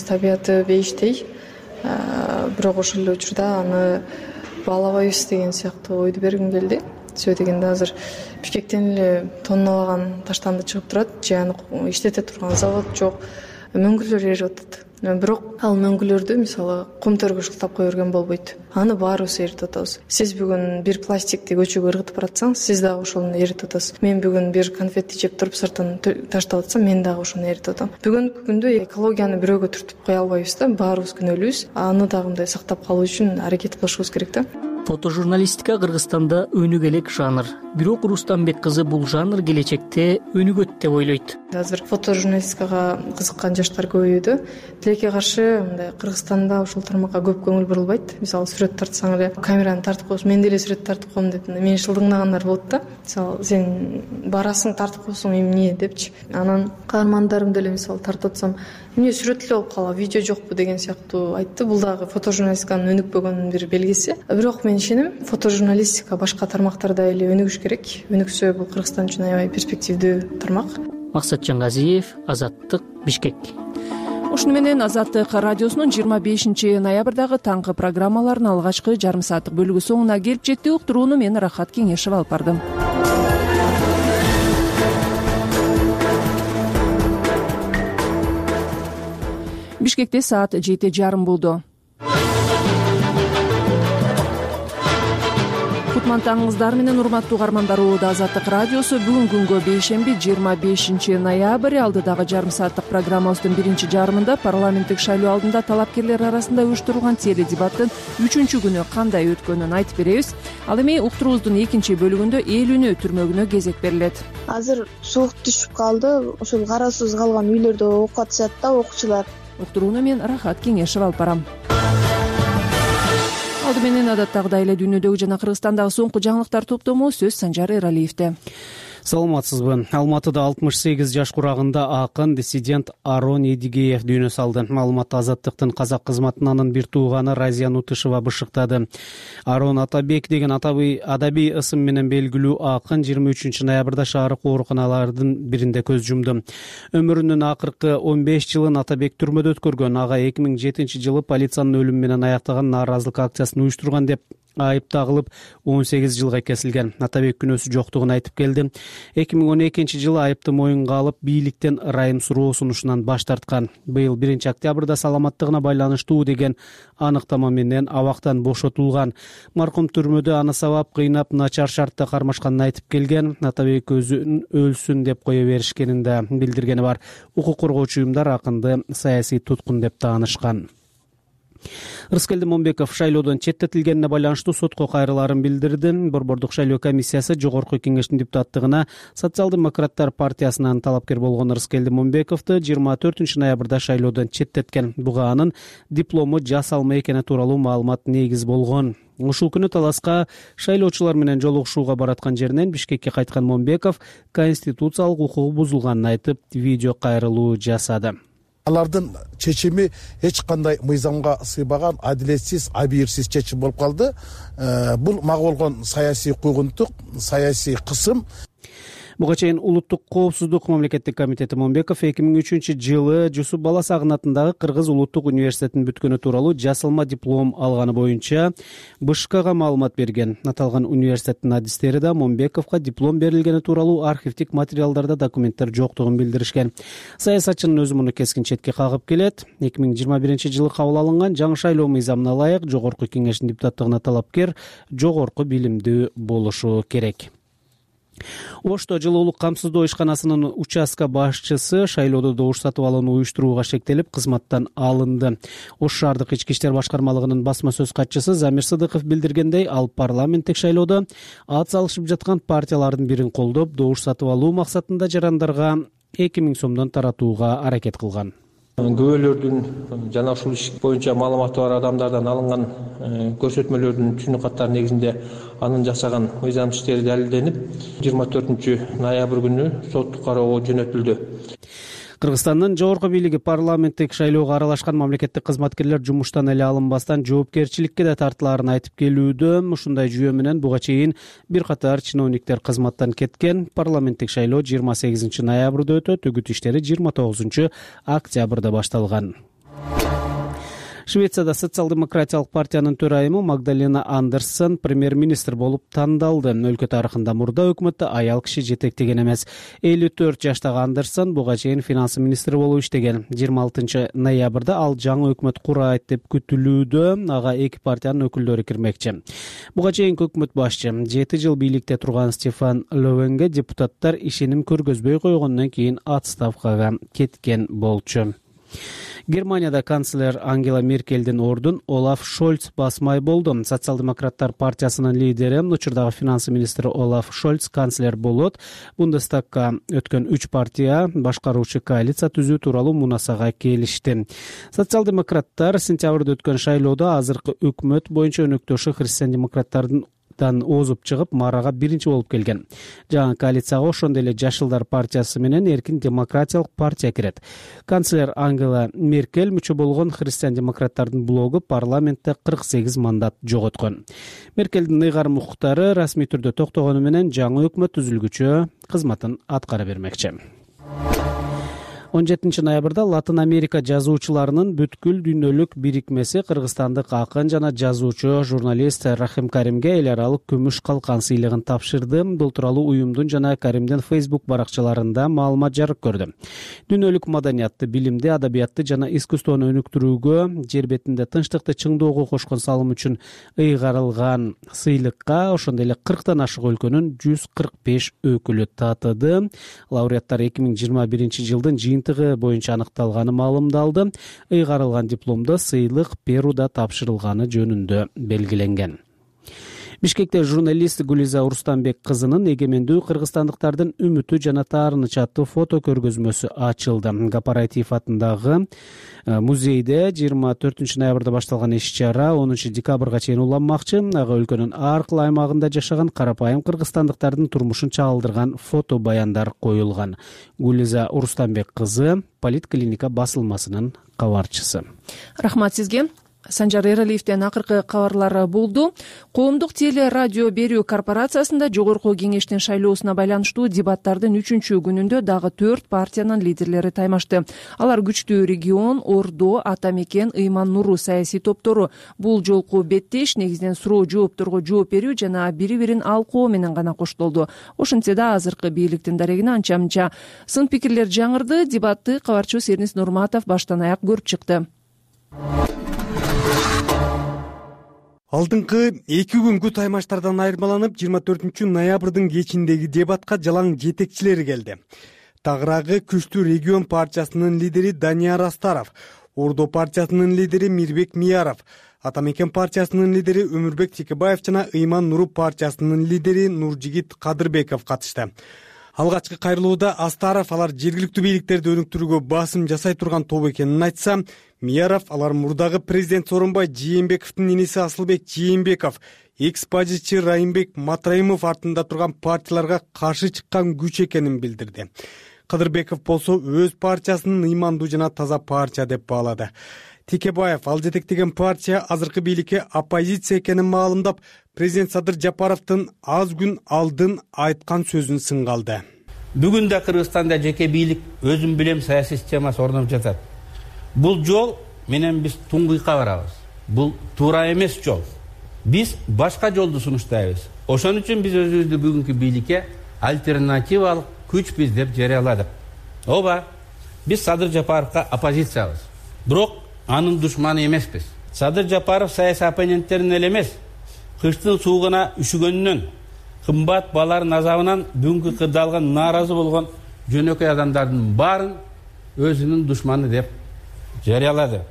табияты бейиштей, бирок ошол эле учурда аны баалабайбыз деген сыяктуу ойду бергим келди. Сөй дегенде азыр Бишкектен эле тонналаган таштанды чыгып турат, же аны иштете турган завод жок, мөңгүлөр эрип атат. Бирок ал мөңгүлөрдү мисалы кум төргөч кылып кое берген болбойт. Аны баарыбыз эритип атабыз. Сиз бүгүн бир пластикти көчөгө ыргытып баратсаңыз, сиз дагы ошону эритип атасыз. Мен бүгүн бир конфетти жеп туруп сыртын таштап атсам, мен дагы ошону эритип атам. Бүгүнкү күндө экологияны бирөөгө түртүп кое албайбыз да, баарыбыз күнөөлүүбүз. Аны дагы мындай сактап калуу үчүн аракет кылышыбыз керек да. Фотожурналистика Кыргызстанда өнүгө элек жанр. Бирок Рустамбек кызы бул жанр келечекте өнүгөт деп ойлойт. Азыр фотожурналистикага кызыккан жаштар көбөйүүдө. Тилекке каршы мындай Кыргызстанда ушул тармакка көп көңүл бурулбайт. Мисалы сүрөт тартсаң эле камераны тартып коесуң, мен деле сүрөт тартып коем деп мени шылдыңдагандар болот да. Мисалы сен барасың тартып коесуң, эмне депчи. Анан каармандарым деле мисалы тартып атсам, эмне сүрөт эле болуп калат, видео жокпу деген сыяктуу айтты. Бул дагы фотожурналистиканын өнүкпөгөнүнүн бир белгиси. Бирок мен ишенем, фотожурналистика башка тармактарда эле өнүгүш керек. Өнүксө бул Кыргызстан үчүн аябай перспективдүү тармак. Максатжан Газиев, Азаттык, Бишкек. Ушуну менен Азаттык радиосунун 25 ноябрдагы таңкы программаларынын алгачкы жарым сааттык бөлүгү соңуна келип жетти. Уктурууну мен Рахат Кеңешева алып бардым. Бишкекте саат 7:30 болду. Кутман таңыңыздар менен урматтуу угармандар. Азаттык радиосу бүгүн күнгө бейшемби 25 ноябрь алдыдагы жарым сааттык программабыздын биринчи жарымында парламенттик шайлоо алдында талапкерлер арасында уюштурулган теледебаттын 3-күнү кандай өткөнүн айтып беребиз. Ал эми уктуруубуздун экинчи бөлүгүндө эл үнү түрмөгүнө кезек берилет. Азыр суук түшүп калды. Ошол кароосуз калган үйлөрдө окуп атышат да окуучулар. Уктурууну мен Рахат Кеңешева алып барам. Алды менен адаттагыдай эле дүйнөдөгү жана Кыргызстандагы соңку жаңылыктар топтому сөз Санжар Эралиевде. Саламатсызбы. Алматыда 68 жаш курагында акын, диссидент Арон Эдигеев дүйнө салды. Маалыматты Азаттыктын казак кызматынын бир тууганы Разия Нутышева бышыктады. Арон Атабек деген адабий ысым менен белгилүү акын 23 ноябрда шаардык ооруканалардын биринде көз жумду. Өмүрүнүн акыркы 15 жылын Атабек түрмөдө өткөргөн. Ага 2007 жылы полициянын өлүмү менен аяктаган нааразылык акциясын уюштурган деп айып тагылып 18 жылга кесилген. Атабек күнөөсү жоктугун айтып келди. 2012 жылы айыпты моюнга алып, бийликтен ырайым суроо сунушунан баш тарткан. Быйыл 1 октябрда саламаттыгына байланыштуу деген аныктама менен абактан бошотулган. Маркум түрмөдө аны сабап, кыйнап, начар шартта кармашканын айтып келген. Атабек өзүн өлсүн деп кое беришкенин да билдиргени бар. Укук коргоочу уюмдар акынды саясий туткун деп таанышкан. Рыскелди Момбеков шайлоодон четтетилгенине байланыштуу сотко кайрылаарын билдирди. Борбордук шайлоо комиссиясы Жогорку кеңештин депутаттыгына Социал-демократтар партиясынан талапкер болгон Рыскелди Момбековду 24 ноябрда шайлоодон четтеткен. Буга анын диплому жасалма экени тууралуу маалымат негиз болгон. Ушул күнү таласка шайлоочулар менен жолугушууга бараткан жеринен Бишкекке кайткан Момбеков конституциялык укугу бузулганын айтып, видео кайрылуу жасады. Алардын чечими эч кандай мыйзамга сыйбаган, адилетсиз, абийирсиз чечим болуп калды. Бул мага болгон саясий куйгунтук, саясий кысым. Буга чейин Улуттук коопсуздук мамлекеттик комитети Момбеков 2003 жылы Жусуп Баласагын атындагы Кыргыз улуттук университетин бүткөнү тууралуу жасалма диплом алганы боюнча БШКга маалымат берген. Аталган университеттин адистери да Момбековго диплом берилгени тууралуу архивдик материалдарда документтер жоктугун билдиришкен. Саясатчынын өзү муну кескин четке кагып келет. 2021 жылы кабыл алынган жаңы шайлоо мыйзамына ылайык Жогорку кеңештин депутаттыгына талапкер жогорку билимдүү болушу керек. Ошто жылуулук камсыздоо ишканасынын участка башчысы шайлоодо добуш сатып алууну уюштурууга шектелип, кызматтан алынды. Ош шаардык ички иштер башкармалыгынын басма сөз катчысы Замир Сыдыков билдиргендей, ал парламенттик шайлоодо ат салышып жаткан партиялардын бирин колдоп, добуш сатып алуу максатында жарандарга 2000 сомдон таратууга аракет кылган. Күбөлөрдүн жана ушул иш боюнча маалыматы бар адамдардан алынган көрсөтмөлөрдүн түнү каттары негизинде анын жасаган мыйзам иштери далилденип, 24 ноябрь күнү соттук кароого жөнөтүлдү. Кыргызстандын жогорку бийлиги парламенттик шайлоого аралашкан мамлекеттик кызматкерлер жумуштан эле алынбастан жоопкерчиликке да тартылаарын айтып келүүдө. Ушундай жүйө менен буга чейин бир катар чиновниктер кызматтан кеткен. Парламенттик шайлоо 28 ноябрда өтөт, үгүт иштери 29 октябрда башталган. Швецияда социал-демократиялык партиянын төрайымы Магдалена Андерсон премьер-министр болуп тандалды. Өлкө тарыхында мурда өкмөттө аял киши жетектеген эмес. 54 жаштагы Андерсон буга чейин финанс министри болуп иштеген. 26 ноябрда ал жаңы өкмөт курайт деп күтүлүүдө. Ага эки партиянын өкүлдөрү кирмекчи. Буга чейин өкмөт башчы 7 жыл бийликте турган Стефан Ловенге депутаттар ишеним көргөзбөй койгондон кийин отставкага кеткен болчу. Германияда канцлер Ангела Меркелдин ордун Олаф Шольц басмай болду. Социал-демократтар партиясынын лидери, учурдагы финансы министри Олаф Шольц канцлер болот. Бундестагга өткөн 3 партия башкаруучу коалиция түзүү тууралуу мунасага келишти. Социал-демократтар сентябрда өткөн шайлоодо азыркы өкмөт боюнча өнөктөшү христиан-демократтардын озуп чыгып, марага биринчи болуп келген. Жаңы коалицияга ошондой эле Жашылдар партиясы менен Эркин демократиялык партия кирет. Канцлер Ангела Меркель мүчө болгон христиан-демократтардын блогу парламентте 48 мандат жоготкон. Меркелдин ыйгарым укуктары расмий түрдө токтогону менен жаңы өкмөт түзүлгүчө кызматын аткара бермекчи. 17 ноябрда Латын Америка жазуучуларынын бүткүл дүйнөлүк бирикмеси кыргызстандык акын жана жазуучу журналист Рахим Каримге эл аралык күмүш калкан сыйлыгын тапшырды. Бул тууралуу уюмдун жана Каримдин Facebook баракчаларында маалымат жарык көрдү. Дүйнөлүк маданиятты, билимди, адабиятты жана искусствону өнүктүрүүгө, жер бетинде тынчтыкты чыңдоого кошкон салым үчүн ыйгарылган сыйлыкка ошондой эле 40тан ашык өлкөнүн 145 өкүлү татыды. Лауреаттар 2021 жылдын жыйынтыгы боюнча аныкталганы маалымдалды. Ыйгарылган дипломдо сыйлык Перуда тапшырылганы жөнүндө белгиленген. Бишкекте журналист Гулиза Урустамбек кызынын эгемендүү кыргызстандыктардын үмүтү жана таарынычы аттуу фото көргөзмөсү ачылды. Кооператив атындагы музейде 24 ноябрда башталган иш-чара 10 декабрга чейин уланмакчы. Ага өлкөнүн ар кыл аймагында жашаган карапайым кыргызстандыктардын турмушун чагылдырган фото баяндар коюлган. Гулиза Урустамбек кызы Политклиника басылмасынын кабарчысы. Рахмат сизге. Санжар Эралиевден акыркы кабарлар болду. Коомдук теле радио берүү корпорациясында жогорку кеңештин шайлоосуна байланыштуу дебаттардын 3-чү күнүндө дагы 4 партиянын лидерлери таймашты. Алар Күчтүү регион, Ордо, Ата Мекен, Ыйман Нуру саясий топтору. Бул жолку беттеш негизинен суроо жоопторго жооп берүү жана бири-бирин алкоо менен гана коштолду. Ошентсе да азыркы бийликтин дарегине анча-мынча сын пикирлер жаңырды. Дебатты кабарчыбыз Сернис Нурматов баштан аяк көрүп чыкты. Алдыңкы 2 күнгө таймаштардан айырмаланып 24 ноябрдын кечиндеги дебатка жалаң жетекчилери келди. Тагыраагы Күчтүү регион партиясынын лидери Данияр Астаров, Ордо партиясынын лидери Мирбек Мияров, Ата Мекен партиясынын лидери Өмүрбек Текебаев жана Ыйман Нуру партиясынын лидери Нуржигит Кадырбеков катышты. Алгачкы кайрылууда Астаров алар жергиликтүү бийликтерди өнүктүрүүгө басым жасай турган топ экенин айтса, Мияров алар мурдагы президент Сооронбай Жээнбековдун иниси Асылбек Жээнбеков, экс-бажычы Райымбек Матраимов артында турган партияларга каршы чыккан күч экенин билдирди. Кадырбеков болсо өз партиясынын ыймандуу жана таза партия деп баалады. Текебаев ал жетектеген партия азыркы бийликке оппозиция экенин маалымдап, президент Садыр Жапаровдун аз күн алдын айткан сөзүн сынга алды. Бүгүн да Кыргызстанда жеке бийлик өзүм билем саясий системасы орноп жатат. Бул жол менен биз туңгуйка барабыз. Бул туура эмес жол. Биз башка жолду сунуштайбыз. Ошон үчүн биз өзүбүздү бүгүнкү бийликке альтернативалык күчбүз деп жарыяладык. Ооба, биз Садыр Жапаровго оппозициябыз. Бирок анын душманы эмеспиз. Садыр Жапаров саясий оппоненттерин эле эмес, кыштын суугуна үшүгөнүнөн, кымбат балардын азабынан бүгүнкү кырдаалган нааразы болгон жөнөкөй адамдардын баарын өзүнүн душманы деп жарыялады.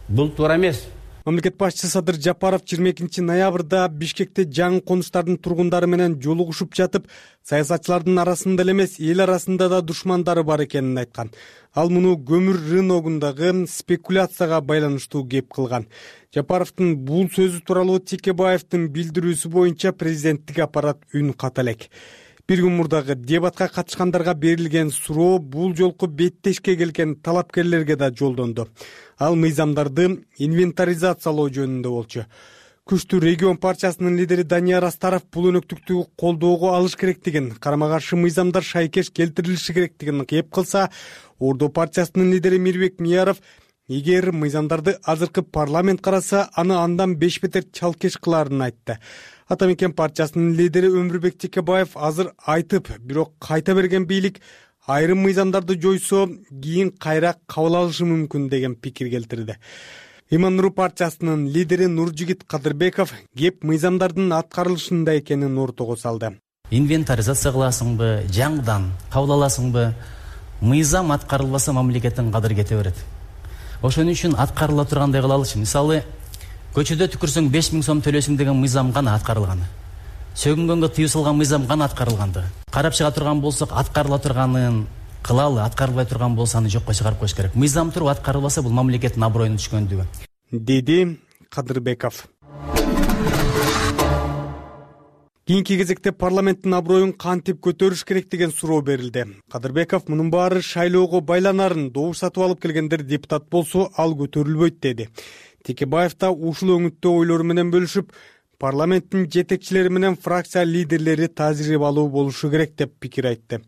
Бул туура эмес. Мамлекет башчысы Садыр Жапаров 22 ноябрда Бишкекте жаңы конуштардын тургундары менен жолугушуп жатып, саясатчылардын арасында эле эмес, эл арасында да душмандары бар экенин айткан. Ал муну көмүр рыногундагы спекуляцияга байланыштуу кеп кылган. Жапаровдун бул сөзү тууралуу Текебаевдин билдирүүсү боюнча президенттик аппарат үн ката элек. Бир күн мурдагы дебатка катышкандарга берилген суроо бул жолку беттешке келген талапкерлерге да жолдонду. Ал мыйзамдарды инвентаризациялоо жөнүндө болчу. Күчтүү регион партиясынын лидери Данияр Астаров бул өнөктүктү колдоого алыш керектигин, карама каршы мыйзамдар шайкеш келтирилиши керектигин кеп кылса, Ордо партиясынын лидери Мирбек Мияров эгер мыйзамдарды азыркы парламент караса, аны андан 5 бетер чалкеш кыларын айтты. Ата Мекен партиясынын лидери Өмүрбек Текебаев азыр айтып, бирок кайта берген бийлик айрым мыйзамдарды жойсо, кийин кайра кабыл алышы мүмкүн деген пикир келтирди. Ыйман Нуру партиясынын лидери Нуржигит Кадырбеков кеп мыйзамдардын аткарылышында экенин ортого салды. Инвентаризация кыласыңбы, жаңыдан кабыл аласыңбы? Мыйзам аткарылбаса мамлекеттин кадыры кете берет. ошон үчүн аткарыла тургандай кылалычы. Мисалы, көчөдө түкүрсөң 5000 сом төлөсүң деген мыйзам гана аткарылган. Сөгүнгөнгө тыюу салган мыйзам гана аткарылганды. Карап чыга турган болсок, аткарыла турганын кылалы, аткарылбай турган болсо аны жокко чыгарып коюш керек. Мыйзам туруп аткарылбаса, бул мамлекеттин аброюна түшкөндүгү, деди Кадырбеков. Кийинки кезекте парламенттин аброюн кантип көтөрүш керек деген суроо берилди. Кадырбеков мунун баары шайлоого байланарын, добуш сатып алып келгендер депутат болсо, ал көтөрүлбөйт деди. Текебаев да ушул өңүттө ойлору менен бөлүшүп, парламенттин жетекчилери менен фракция лидерлери тажрыйбалуу болушу керек деп пикир айтты.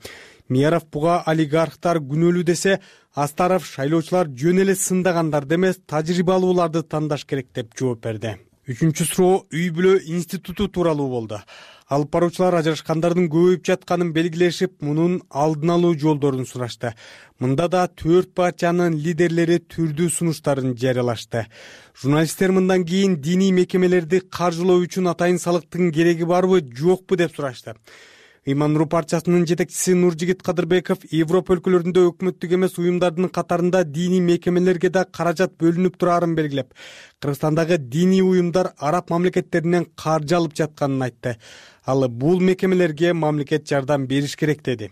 Мияров буга олигархтар күнөөлүү десе, Астаров шайлоочулар жөн эле сындагандарды эмес, тажрыйбалууларды тандаш керек деп жооп берди. Үчүнчү суроо үй-бүлө институту тууралуу болду. Алып баруучулар ажырашкандардын көбөйүп жатканын белгилешип, мунун алдын алуу жолдорун сурашты. Мында да 4 партиянын лидерлери түрдүү сунуштарын жарыялашты. Журналисттер мындан кийин диний мекемелерди каржылоо үчүн атайын салыктын кереги барбы, жокпу деп сурашты. Ыйман-Нур партиясынын жетекчиси Нуржигит Кадырбеков Европа өлкөлөрүндө өкмөттүк эмес уюмдардын катарында диний мекемелерге да каражат бөлүнүп турарын белгилеп, Кыргызстандагы диний уюмдар араб мамлекеттеринен каржы алып жатканын айтты. Ал бул мекемелерге мамлекет жардам бериш керек деди.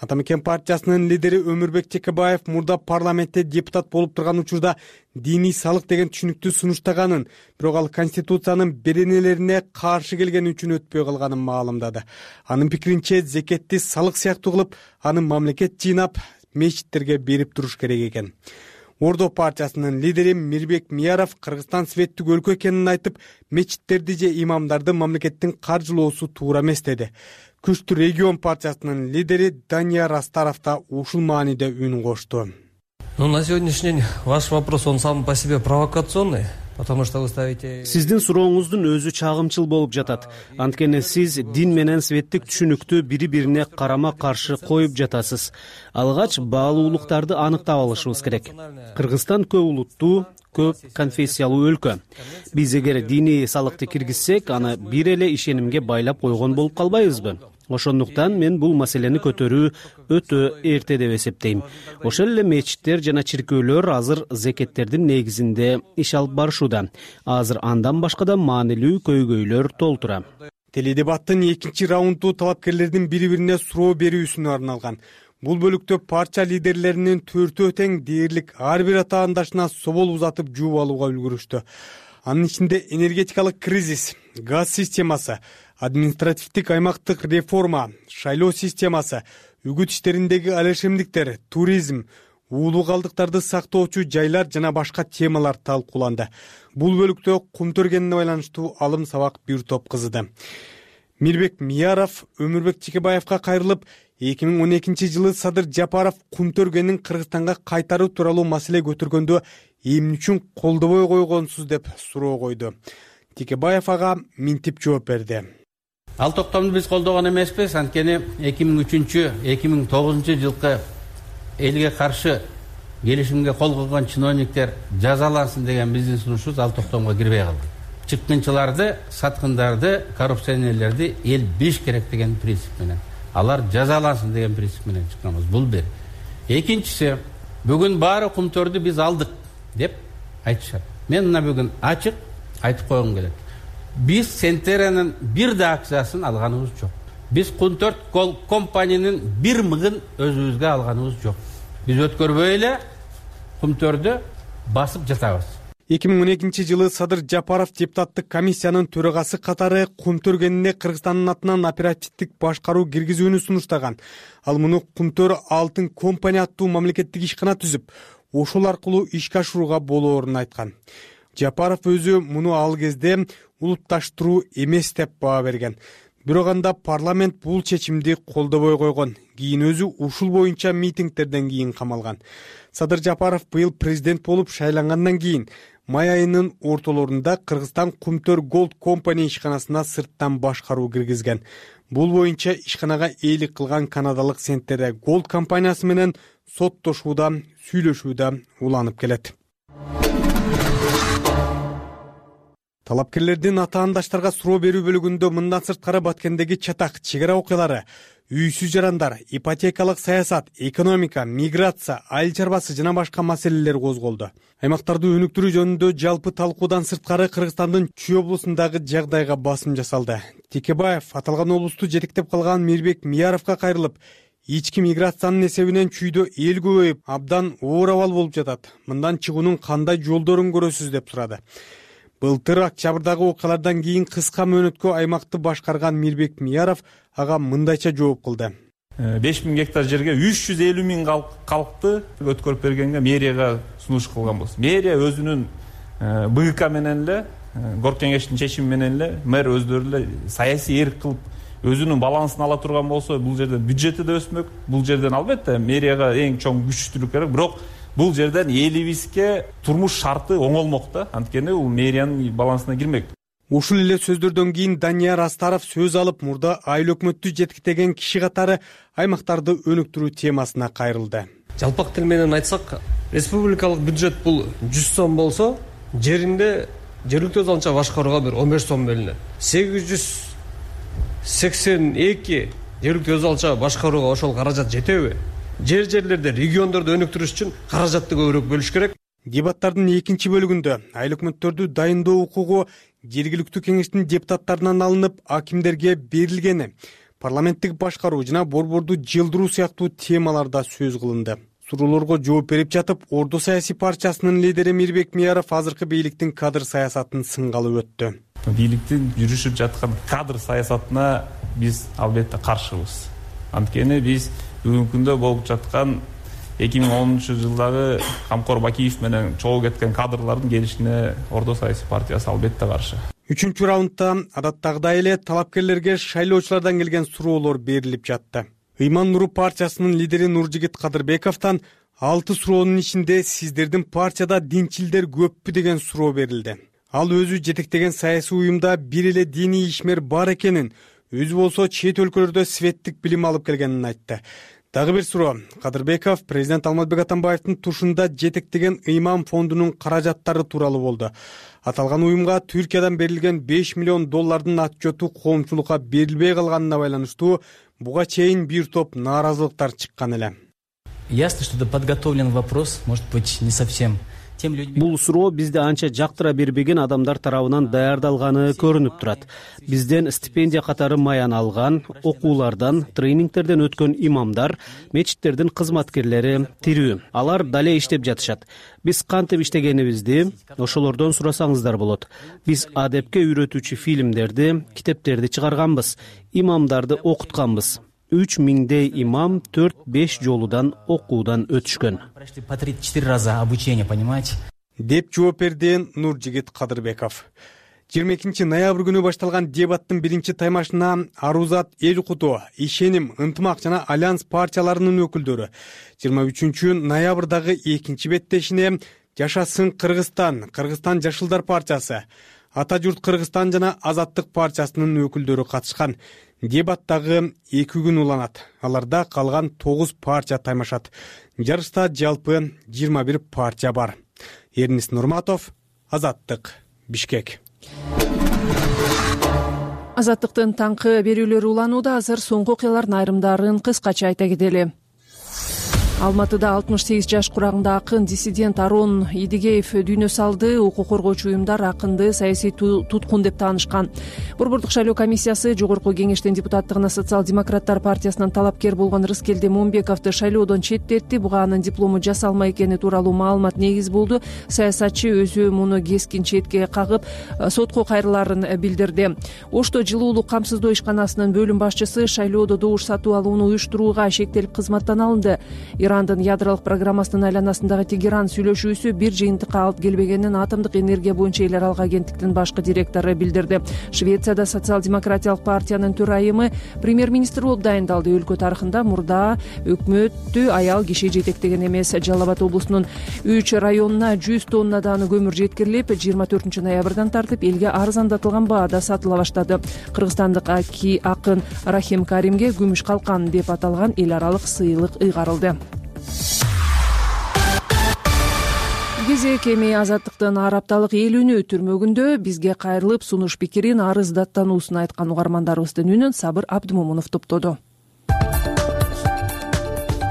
Ата Мекен партиясынын лидери Өмүрбек Текебаев мурда парламентте депутат болуп турган учурда диний салык деген түшүнүктү сунуштаганын, бирок ал Конституциянын беренелерине каршы келгени үчүн өтпөй калганын маалымдады. Анын пикиринче, зекетти салык сыяктуу кылып, аны мамлекет жыйнап, мечиттерге берип туруш керек экен. Ордо партиясынын лидери Мирбек Мияров Кыргызстан светтик өлкө экенин айтып, мечиттерди же имамдарды мамлекеттин каржылоосу туура эмес деди. Күчтүү регион партиясынын лидери Данияр Астаров да ушул мааниде үн кошту. На сегодняшний день ваш вопрос, он сам по себе провокационный. Потому что вы ставите... Сиздин сурооңуздун өзү чагымчыл болуп жатат. Анткени сиз дин менен светтик түшүнүктү бири-бирине карама каршы коюп жатасыз. Алгач баалуулуктарды аныктап алышыбыз керек. Кыргызстан көп улуттуу, көп конфессиялуу өлкө. Биз эгер диний салыкты киргизсек, аны бир эле ишенимге байлап койгон болуп калбайбызбы? Ошондуктан мен бул маселени көтөрүү өтө эрте деп эсептейм. Ошол эле мечиттер жана чиркөөлөр азыр зекеттердин негизинде иш алып барышууда. Азыр андан башка да маанилүү көйгөйлөр толтура. Теледебаттын экинчи раунду талапкерлердин бири-бирине суроо берүүсүнө арналган. Бул бөлүктө партия лидерлеринин төртөө тең дээрлик ар бир атаандашына собол узатып жууп алууга үлгүрүштү. Анын ичинде энергетикалык кризис, газ системасы, административдик аймактык реформа, шайлоо системасы, үгүт иштериндеги алешемдиктер, туризм, уулуу калдыктарды сактоочу жайлар жана башка темалар талкууланды. Бул бөлүктө кум төргенине байланыштуу алым сабак бир топ кызыды. Мирбек Мияров Өмүрбек Текебаевка кайрылып, 2012-жылы Садыр Жапаров кум төргенин Кыргызстанга кайтаруу тууралуу маселе көтөргөндө эмне үчүн колдобой койгонсуз деп суроо койду. Текебаев ага минтип жооп берди. Ал токтомду биз колдогон эмеспиз, анткени 2003-2009 жылкы элге каршы келишимге кол койгон чиновниктер жазалансын деген биздин сунушубуз ал токтомго кирбей калды. Чыккынчыларды, саткындарды, коррупционерлерди эл биш керек деген принцип менен, алар жазалансын деген принцип менен чыкканбыз. Бул бир. Экинчиси, бүгүн баары кумтөрдү биз алдык деп айтышат. Мен мына бүгүн ачык айтып койгум келет. Биз Сентеранын бир да акциясын алганыбыз жок. Биз Кунтөрт компаниянын бир мыгын өзүбүзгө алганыбыз жок. Биз өткөрбөй эле Кумтөрдү басып жатабыз. 2012-жылы Садыр Жапаров депутаттык комиссиянын төрагасы катары Кумтөргенине Кыргызстандын атынан оперативдик башкаруу киргизүүнү сунуштаган. Ал муну Кумтөр Алтын компания аттуу мамлекеттик ишкана түзүп, ошол аркылуу ишке ашырууга болоорун айткан. Жапаров өзү муну ал кезде улутташтыруу эмес деп баа берген. Бирок анда парламент бул чечимди колдобой койгон. Кийин өзү ушул боюнча митингтерден кийин камалган. Садыр Жапаров быйыл президент болуп шайлангандан кийин май айынын ортолорунда Кыргызстан Кумтөр Голд компания ишканасына сырттан башкаруу киргизген. Бул боюнча ишканага ээлик кылган канадалык Сентере Голд компаниясы менен соттошууда, сүйлөшүүдө уланып келет. Талапкерлердин атаандаштарга суроо берүү бөлүгүндө мындан сырткары Баткендеги чатак чек ара окуялары, үйсүз жарандар, ипотекалык саясат, экономика, миграция, айыл чарбасы жана башка маселелер козголду. Аймактарды өнүктүрүү жөнүндө жалпы талкуудан сырткары Кыргызстандын Чүй облусундагы жагдайга басым жасалды. Текебаев аталган облусту жетектеп калган Мирбек Мияровго кайрылып, ички миграциянын эсебинен Чүйдө эл көбөйүп, абдан оор абал болуп жатат. Мындан чыгуунун кандай жолдорун көрөсүз деп сурады. Былтыр октябрдагы окуялардан кийин кыска мөөнөткө аймакты башкарган Мирбек Мияров ага мындайча жооп кылды. 5000 гектар жерге 350 миң калкты өткөрүп бергенге мэрияга сунуш кылган болсун. Мэрия өзүнүн БК менен эле, город кеңештин чечими менен эле мэр өздөрү эле саясий эрк кылып өзүнүн балансын ала турган болсо, бул жерден бюджети да өсмөк. Бул жерден албетте мэрияга эң чоң күчтүүлүк керек, бирок бул жерден элибизге турмуш шарты оңолмок да. Анткени бул мэриянын балансына кирмек. Ушул эле сөздөрдөн кийин Данияр Астаров сөз алып, мурда айыл өкмөттү жетектеген киши катары аймактарды өнүктүрүү темасына кайрылды. Жалпак тил менен айтсак, республикалык бюджет бул 100 сом болсо, жеринде жергиликтүү өз алынча башкарууга бир 15 сом бөлүнөт. 882 жергиликтүү өз алынча башкарууга ошол каражат жетеби? Жерлерде, региондорду өнүктүрүш үчүн каражатты көбүрөөк бөлүш керек. Дебаттардын экинчи бөлүгүндө айыл өкмөттөрдү дайындоо укугу жергиликтүү кеңештин депутаттарынан алынып акимдерге берилгени, парламенттик башкаруу жана борборду жылдыруу сыяктуу темаларда сөз кылынды. Суроолорго жооп берип жатып, Ордо саясий партиясынын лидери Мирбек Мияров азыркы бийликтин кадр саясатын сынгалып өттү. Бийликтин жүрүшүп жаткан кадр саясатына биз албетте каршыбыз. Анткени биз бүгүнкү күндө болуп жаткан 2010-жылдагы Камкор Бакиев менен чогуу кеткен кадрлардын келишине Ордо саясий партиясы албетте каршы. 3-чү раундда адаттагыдай эле талапкерлерге шайлоочулардан келген суроолор берилип жатты. Ыйман Нуру партиясынын лидери Нуржигит Кадырбековдон 6 суроонун ичинде сиздердин партияда динчилдер көппү деген суроо берилди. Ал өзү жетектеген саясий уюмда бир эле диний ишмер бар экенин, өзү болсо чет өлкөлөрдө светтик билим алып келгенин айтты. Дагы бир суроо. Кадырбеков президент Алмазбек Атамбаевдин тушунда жетектеген ыйман фондунун каражаттары тууралуу болду. Аталган уюмга Түркиядан берилген 5 миллион доллардын отчету коомчулукка берилбей калганына байланыштуу буга чейин бир топ нааразылыктар чыккан эле. Ясно, что это подготовлен вопрос, может быть, не совсем. Бул суроо бизди анча жактыра бербеген адамдар тарабынан даярдалганы көрүнүп турат. Бизден стипендия катары маян алган, окуулардан, тренингтерден өткөн имамдар, мечиттердин кызматкерлери тирүү. Алар дале иштеп жатышат. Биз кантип иштегенибизди ошолордон сурасаңыздар болот. Биз адепке үйрөтүүчү фильмдерди, китептерди чыгарганбыз, имамдарды окутканбыз. 3000 имам 4-5 жолудан окуудан өтүшкөн. По 3-4 раза обучение, понимаете? Деп жооп берди Нуржигит Кадырбеков. 22 ноябрь күнү башталган дебаттын биринчи таймашына Арузат эл укуту, Ишеним, Ынтымак жана Альянс партияларынын өкүлдөрү 23 ноябрдагы экинчи беттешине Жашасын Кыргызстан, Кыргызстан Жашылдар партиясы, Ата журт Кыргызстан жана Азаттык партиясынын өкүлдөрү катышкан. Дебаттагы 2 күн уланат. Аларда калган 9 партия таймашат. Жарышта жалпы 21 партия бар. Эрнис Нурматов, Азаттык, Бишкек. Азаттыктын таңкы берүүлөрү уланууда. Азыр соңку окуялардын айрымдарын кыскача айта кетели. Алматыда 68 жаш курагында акын диссидент Арон Идигеев дүйнө салды. Укук коргоочу уюмдар акынды саясий туткун деп таанышкан. Борбордук шайлоо комиссиясы Жогорку кеңештин депутаттыгына Социал-демократтар партиясынан талапкер болгон Рыскелди Момбековду шайлоодон четтетти. Буга анын диплому жасалма экени тууралуу маалымат негиз болду. Саясатчы өзү муну кескин четке кагып, сотко кайрылаарын билдирди. Ошто жылуулук камсыздоо ишканасынын бөлүм башчысы шайлоодо добуш сатып алууну уюштурууга шектелип кызматтан алынды. Ирандын ядролук программасынын айланасындагы Тегеран сүйлөшүүсү бир жыйынтыкка алып келбегенин Атомдук энергия боюнча эл аралык агенттиктин башкы директору билдирди. Швецияда социал-демократиялык партиянын төрайымы премьер-министр болуп дайындалды. Өлкө тарыхында мурда өкмөттү аял киши жетектеген эмес. Жалал Абад облусунун 3 районуна 100 тоннадан көмүр жеткирилип, 24 ноябрдан тартып элге арзандатылган баада сатыла баштады. Кыргызстандык акын Рахим Каримге күмүш калкан деп аталган эл аралык сыйлык ыйгарылды. Кезек эми Азаттыктын ар апталык эл үнү түрмөгүндө бизге кайрылып сунуш пикирин, арыз даттануусун айткан угармандарыбыздын үнүн Сабыр Абдымомунов топтоду.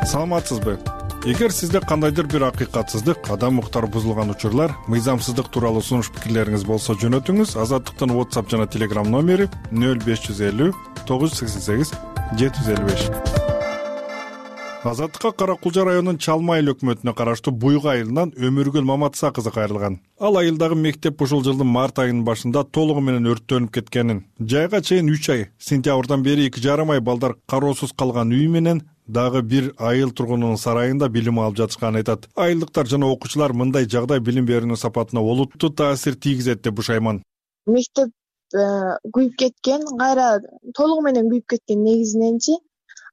саламатсызбы? Эгер сизде кандайдыр бир акыйкатсыздык, адам укуктары бузулган учурлар, мыйзамсыздык тууралуу сунуш пикирлериңиз болсо жөнөтүңүз. Азаттыктын WhatsApp жана Telegram номери 0550 988 755. Азаттыкка Кара Кулжа районунун Чалма айыл өкмөтүнө караштуу Буйга айылынан Өмүргүл Маматса кызы кайрылган. Ал айылдагы мектеп ушул жылдын март айынын башында толугу менен өрттөнүп кеткенин, жайга чейин 3 ай, сентябрдан бери 2,5 ай балдар кароосуз калган үй менен дагы бир айыл тургунунун сарайында билим алып жатышканын айтат. Айылдыктар жана окуучулар мындай жагдай билим берүүнүн сапатына олуттуу таасир тийгизет деп бушайман. Мектеп күйүп кеткен, кайра толугу менен күйүп кеткен негизиненчи.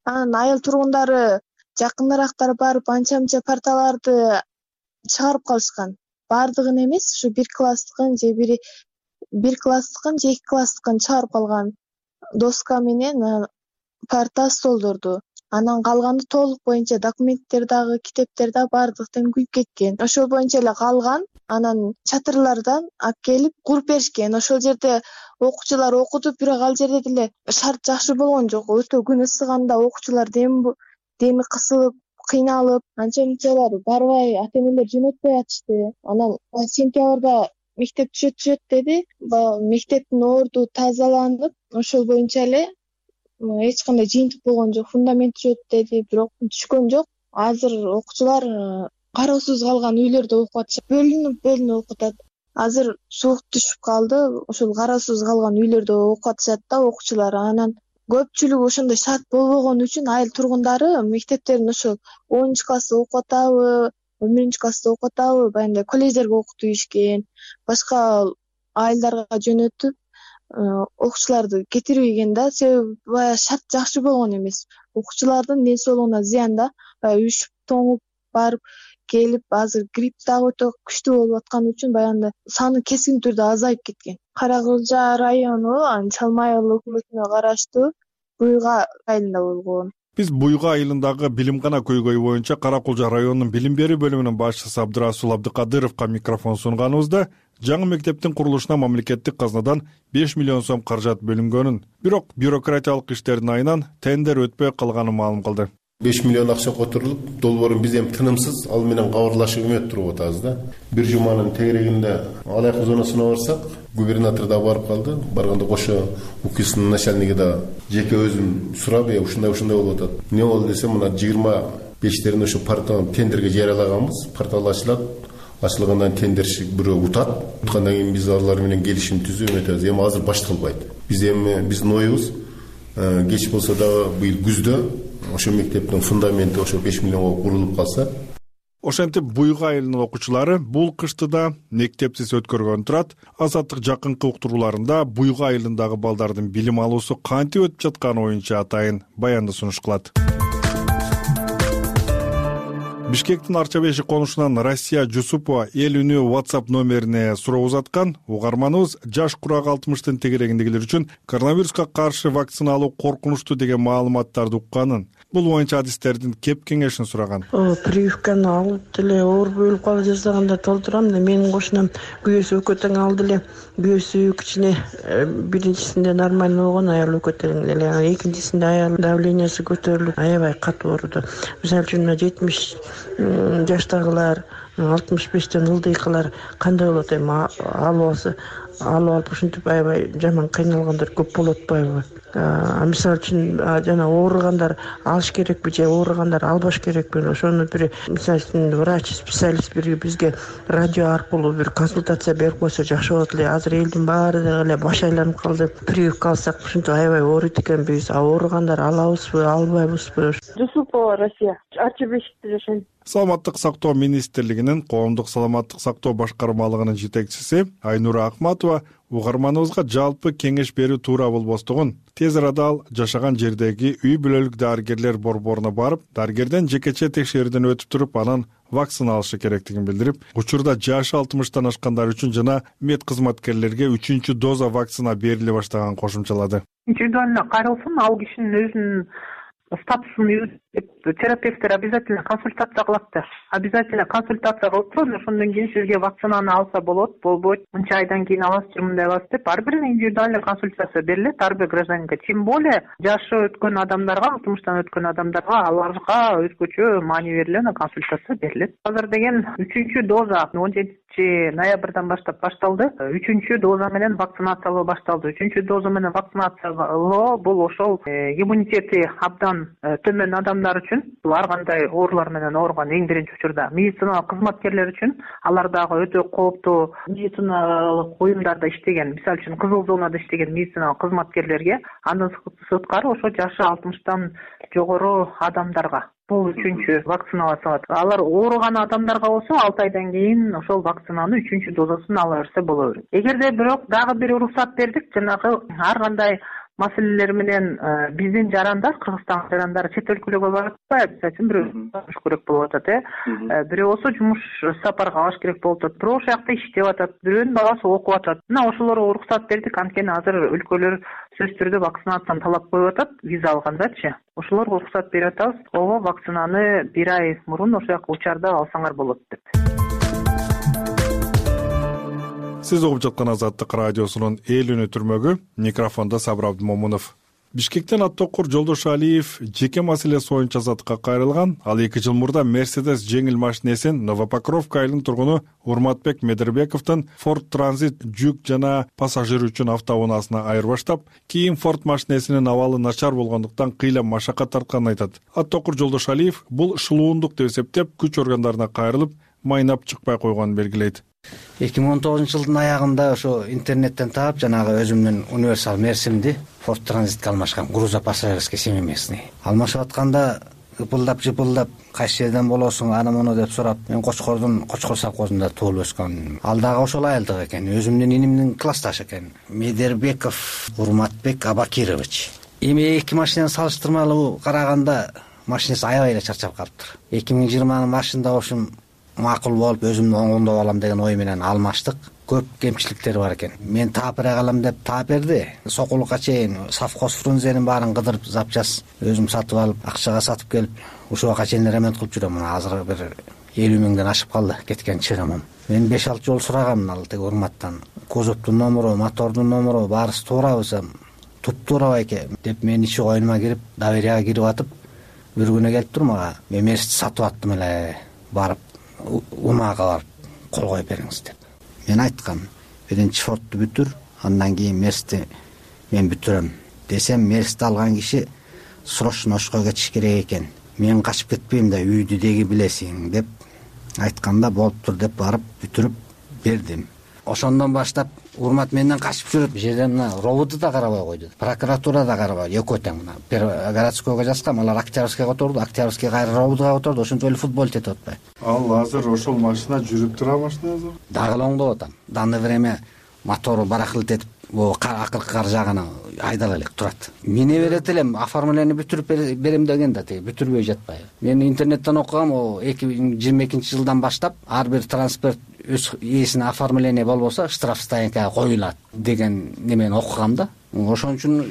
Анан айыл тургундары жакыныраактар барып анча-мынча парталарды чыгарып калышкан. Бардыгын эмес, ушу бир класстыкын же бир класстыкын же 2 класстыкын чыгарып калган. Доска менен парта, столдорду. Анан калганы толук боюнча документтер дагы, китептер да бардыктан күйүп кеткен. Ошол боюнча эле калган. Анан чатырлардан алып келип куруп беришкен. Ошол жерде окуучулар окуду, бирок ал жерде деле шарт жакшы болгон жок. Өтө күн ысыганда окуучулар деми кысылып, кыйналып, анча-мынчалар барбай, ата-энелер жөнөтпөй атышты. Анан сентябрда мектеп түшөт деди. Мектептин орду тазаланып, ошол боюнча эле эч кандай жыйынтык болгон жок. Фундамент түшөт деди, бирок түшкөн жок. Азыр окуучулар кароосуз калган үйлөрдө окуп атышат. Бөлүнүп окуп атат. Азыр суук түшүп калды. Ошол кароосуз калган үйлөрдө окуп атышат да окуучулар. Анан көпчүлүгү ошондой шарт болбогон үчүн айыл тургундары мектептерин ошол 10-классты окуп атабы, 11-классты окуп атабы, баягындай колледждерге окутуу ийишкен. Башка айылдарга жөнөтүп окуучуларды кетирбеген да. Себеби баягы шарт жакшы болгон эмес. Окуучулардын ден соолугуна зыян да. Үшүп, тоңуп барып келип, азыр грипп дагы өтө күчтүү болуп аткан үчүн баягындай саны кескин түрдө азайып кеткен. Кара Кулжа району Чалма айыл өкмөтүнө караштуу Буйга айылында болгон. Биз Буйга айылындагы билимгана көйгөй боюнча Кара Кулжа районунун билим берүү бөлүмүнүн башчысы Абдырасул Абдыкадыровго микрофон сунганыбызда жаңы мектептин курулушуна мамлекеттик казнадан 5 миллион сом каражат бөлүнгөнүн, бирок бюрократиялык иштердин айынан тендер өтпөй калганын маалым кылды. 5 миллион акча которулуп, долбоорун биз эми тынымсыз ал менен кабарлашып өмөт туруп атабыз да. Бир жуманын тегерегинде алайык зонасына барсак, губернатор да барып калды. Барганда кошо УКИСтин начальниги да жеке өзүм сурап, ушундай болуп атат. Эмне болду десем, мына 25-терин ошо партаны тендерге жарыялаганбыз. Портал ачылат. Ачылгандан тендерчи бирөө утат. Уткандан кийин биз алар менен келишим түзүп өтөбүз. Эми азыр башталбайт. Биздин оюбуз кеч болсо дагы быйыл күздө ошо мектептин фундаменти ошо 5 миллионго курулуп калса. Ошентип Буйга айылынын окуучулары бул кышты да мектепсиз өткөргөн турат. Азаттык жакынкы уктурууларында Буйга айылындагы балдардын билим алуусу кантип өтүп жатканы боюнча атайын баянды сунуш кылат. Бишкектин Арчабеши конушунан Россия Жусупова эл үнү WhatsApp номерине суроо узаткан. Угарманыбыз жаш курагы 60-тын тегерегиндегилер үчүн коронавируска каршы вакцина алуу коркунучтуу деген маалыматтарды укканын, бул боюнча адистердин кеп кеңешин сураган. Прививканы алып деле оор болуп калып жасаганда толтурам да, менин кошунам күйөөсү өкө тең алды эле. Күйөөсү кичине биринчисинде нормально болгон, аял өкө тең эле. Экинчисинде аял давлениясы көтөрүлүп, аябай катуу ооруду. Мисалы үчүн 70 жаштагылар, 65тен ылдыйкылар кандай болот эми алып ушинтип аябай жаман кыйналгандар көп болот атпайбы? Мисалы үчүн жана ооругандар алыш керекпи же ооругандар албаш керекпи? Ошону бир мисалы үчүн врач, специалист бир бизге радио аркылуу бир консультация берип койсо жакшы болот эле. Азыр элдин баары эле баш айланып калды. Прививка алсак ушинтип аябай ооруйт экенбиз. Ооругандар алабызбы, албайбызбы? Жусупова Россия, Арчабешикте жашайм. Саламаттык сактоо министрлигинин коомдук саламаттык сактоо башкармалыгынын жетекчиси Айнура Акматова угарманыбызга жалпы кеңеш берүү туура болбостугун, тез арада ал жашаган жердеги үй бүлөлүк дарыгерлер борборуна барып, дарыгерден жекече текшерүүдөн өтүп туруп, анан вакцина алышы керектигин билдирип, учурда жашы 60-тан ашкандар үчүн жана мед кызматкерлерге 3-чү доза вакцина бериле баштаганын кошумчалады. Индивидуально каралсын, ал кишинин өзүнүн статусун терапевттер обязательно консультация кылат да. Обязательно консультация кылып туруп, ошондон кийин сизге вакцинаны алса болот, болбойт, мынча айдан кийин аласыз же мындай аласыз деп ар бирине индивидуальный консультация берилет ар бир гражданинге. Тем более жашы өткөн адамдарга, утумуштан өткөн адамдарга аларга өзгөчө маани берилген консультация берилет. Азыр деген 3-чү доза 17 баштап башталды. 3-чү доза менен вакцинациялоо башталды. 3-чү доза менен вакцинациялоо бул ошол иммунитети абдан төмөн адамдар үчүн, бул ар кандай оорулар менен ооруган эң биринчи учурда медициналык кызматкерлер үчүн, алар дагы өтө кооптуу медициналык уюмдарда иштеген, мисалы үчүн кызыл зонада иштеген медициналык кызматкерлерге, андан сырткары ошо жашы 60 жогору адамдарга бул 3-чү вакциналациялат. Алар ооруган адамдарга болсо 6 айдан кийин ошол вакцинаны 3-чү дозасын ала берсе боло берет. Эгерде бирок дагы бир уруксат бердик, жанагы ар кандай маселелер менен биздин жарандар, Кыргызстан жарандары чет өлкөлөргө барып атпайбы, мисалы үчүн бирөө жумуш керек болуп атат, бирөө болсо жумуш сапарга алыш керек болуп атат, бирөө ошол жакта иштеп атат, бирөөнүн баласы окуп атат. Мына ошолорго уруксат бердик, анткени азыр өлкөлөр сөзсүз түрдө вакцинацияны талап коюп атат, виза алгандачы. Ошолорго уруксат берип атабыз. Ого вакцинаны 1 ай мурун ошол жака учарда алсаңар болот деп. Сиз угуп жаткан Азаттык радиосунун эл үнү түрмөгү, микрофондо Сабыр Абдымомунов. Бишкектен Аттокур Жолдошалиев жеке маселеси боюнча Азаттыкка кайрылган. Ал 2 жыл мурда Mercedes жеңил машинесин Новопокровка айылынын тургуну Урматбек Медербековдун Ford Transit жүк жана пассажир үчүн автоунаасына айырбаштап, кийин Ford машинесинин абалы начар болгондуктан кыйла машакат тартканын айтат. Аттокур Жолдошалиев бул шылуундук деп эсептеп, күч органдарына кайрылып, майнап чыкпай койгонун белгилейт. 2019 жылдын аягында ошо интернеттен таап, жанагы өзүмдүн универсал мерсимди Ford Transitке алмашкан, грузопассажирский семейный. Алмашып атканда жыпылдап, кайсы жерден болосуң, аны муну деп сурап, мен Кочкор совхозунда туулуп өскөн. Ал дагы ошол айылдык экен, өзүмдүн инимдин классташы экен. Медербеков Урматбек Абакирович. Эми 2 машинаны салыштырмалуу караганда машинеси аябай эле чарчап калыптыр. 2020 машинада ошум макул болуп, өзүмдү оңдоп алам деген ой менен алмаштык. Көп кемчиликтери бар экен. Мен таап бере калам деп таап берди. Сокулукка чейин совхоз фрунзенин баарын кыдырып, запчас өзүм сатып алып, акчага сатып келип, ушуга чейин ремонт кылып жүрөм. Азыр бир 50 миңден ашып калды кеткен чыгымым. Мен 5-6 жол сурагам ал тег Урматтан. Кузовдун номуру, мотордун номуру баарысы туурабы десем, туп-туура байке деп мен ичи коюнума кирип, доверияга кирип атып, бир күнү келип тур мага. Мен мерсти сатып аттым эле, барып умага барып кол коюп бериңиз деп. Мен айткам, биринчи Фордду бүтүр, андан кийин Мерсти мен бүтүрөм десем, Мерсти алган киши срочно ошко кетиш керек экен. Мен качып кетпейм да, үйдү деги билесиң деп айтканда, болуптур деп барып бүтүрүп бердим. Ошондон баштап Урмат менден качып жүрөт. Бул жерден мына роботу да карабай койду, прокуратура да карабай, экөө тең. Мына городскойго жазгам, алар Октябрьскийге которду, Октябрьский кайра роботуга которду, ошентип эле футбол тетип атпайбы. Ал азыр ошол машина жүрүп тура машина азыр? Дагы оңдоп атам. Данный время мотору баракылт этип, акыркы кар жагына айдала элек турат. Мине берет элем, оформление бүтүрүп берем деген да теги бүтүрбөй жатпайбы. Мен интернеттен окугам, 2022 жылдан баштап ар бир транспорт өз ээсине оформление болбосо штраф стоянкага коюлат деген немени окугам да. Ошон үчүн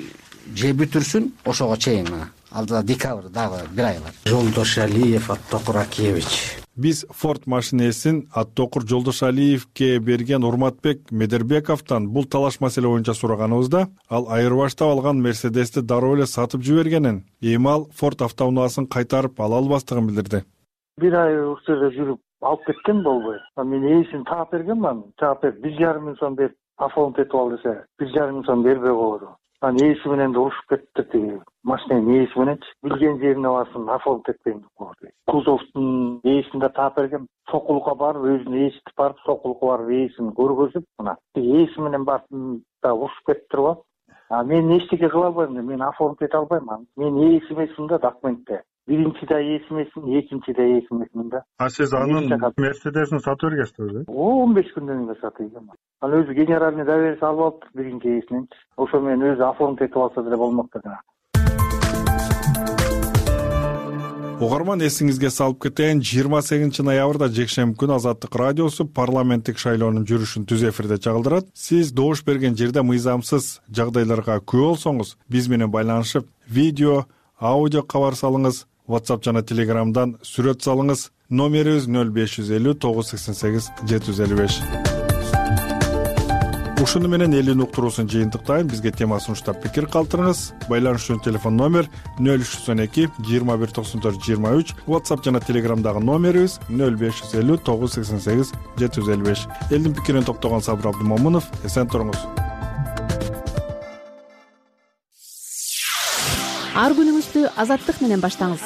же бүтүрсүн, ошого чейин мына. Алдыда декабрь дагы 1 ай бар. Жолдошалиев Аттокур Акиевич. Биз Ford машинесин Аттокур Жолдошалиевке берген Урматбек Медербековдон бул талаш маселе боюнча сураганыбызда, ал айырбаштап алган Мерседести дароо эле сатып жибергенин, эми ал Ford автоунаасын кайтарып ала албастыгын билдирди. 1 ай ушерде жүрүп алып кеткен болбой. Мен ээсин таап бергенмин. Таап берип 1,5 миң сом берип оформить этип ал десе, 1,5 миң сом бербей койду. Анан ээси менен да урушуп кетти тиги. Машинанын ээси мененчи билген жерине барсын, оформить этпейм деп койду. Кузовдун ээсин да таап бергем. Сокулукка барып, өзүнүн ээси барып, Сокулукка барып ээсин көргөзүп, мына ээси менен барып да урушуп кетиптир го. Мен эчтеке кыла албайм, мен оформить эте албайм. Мен ээси эмесмин да документте. Биринчи да ээси эмесмин, экинчи да ээси эмесмин да. Сиз анын Мерседесин сатып бергенсизби? 15 күндөн кийин сатып бергем. Ал өзү генеральный доверие алып алыптыр биринчи ээсинен. Ошо мен өзү оформить этип алса деле болмок да. Угарман, эсиңизге салып кетейин, 28 ноябрда жекшемби күнү Азаттык радиосу парламенттик шайлоонун жүрүшүн түз эфирде чагылдырат. Сиз добуш берген жерде мыйзамсыз жагдайларга күбө болсоңуз, биз менен байланышып, видео, аудио кабар салыңыз. WhatsApp жана Telegramдан сүрөт салыңыз. Номерибиз 0550 988 755. Ушуну менен элин уктуруусун жыйынтыктайм. Бизге тема сунуштап пикир калтырыңыз. Байланыш үчүн телефон номер 0312 2194 23. WhatsApp жана Telegramдагы номерибиз 0550 988 755. Элдин пикирин топтогон Сабыр Абдымомунов. Эсен туруңуз. Ар күнүңүздү азаттык менен баштаңыз.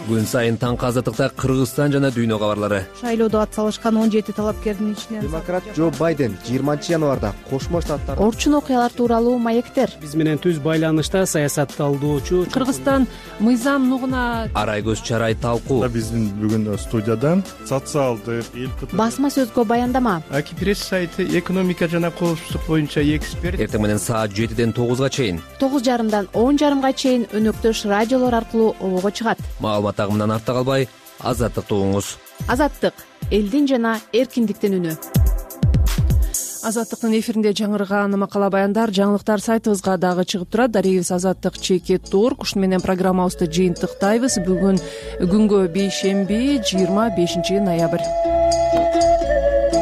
Күн сайын таңкы азаттыкта Кыргызстан жана дүйнө кабарлары. Шайлоодо ат салышкан 17 талапкердин ичинен демократ Джо Байден 20 январда Кошмо Штаттар орчун окуялар тууралуу маектер. Биз менен түз байланышта саясатталдоочу Кыргызстан мыйзам нугуна Арай көз чарай талкуу. Биздин бүгүн студиядан социалдык басма сөзгө баяндама. Аки пресс сайты экономика жана коопсуздук боюнча эксперт. Эртең менен саат 7ден 9га чейин 9:30дан 10:30га чейин өнөктөш радиолор аркылуу обого чыгат. Маалымат агымынан артта калбай, азаттыкты угуңуз. Азаттык элдин жана эркиндиктин үнү. Азаттыктын эфиринде жаңырган макала баяндар, жаңылыктар сайтыбызга дагы чыгып турат. Дарегибиз azаттык.org. Ушуну менен программабызды жыйынтыктайбыз. Бүгүн күнгө бейшемби 25 ноябрь.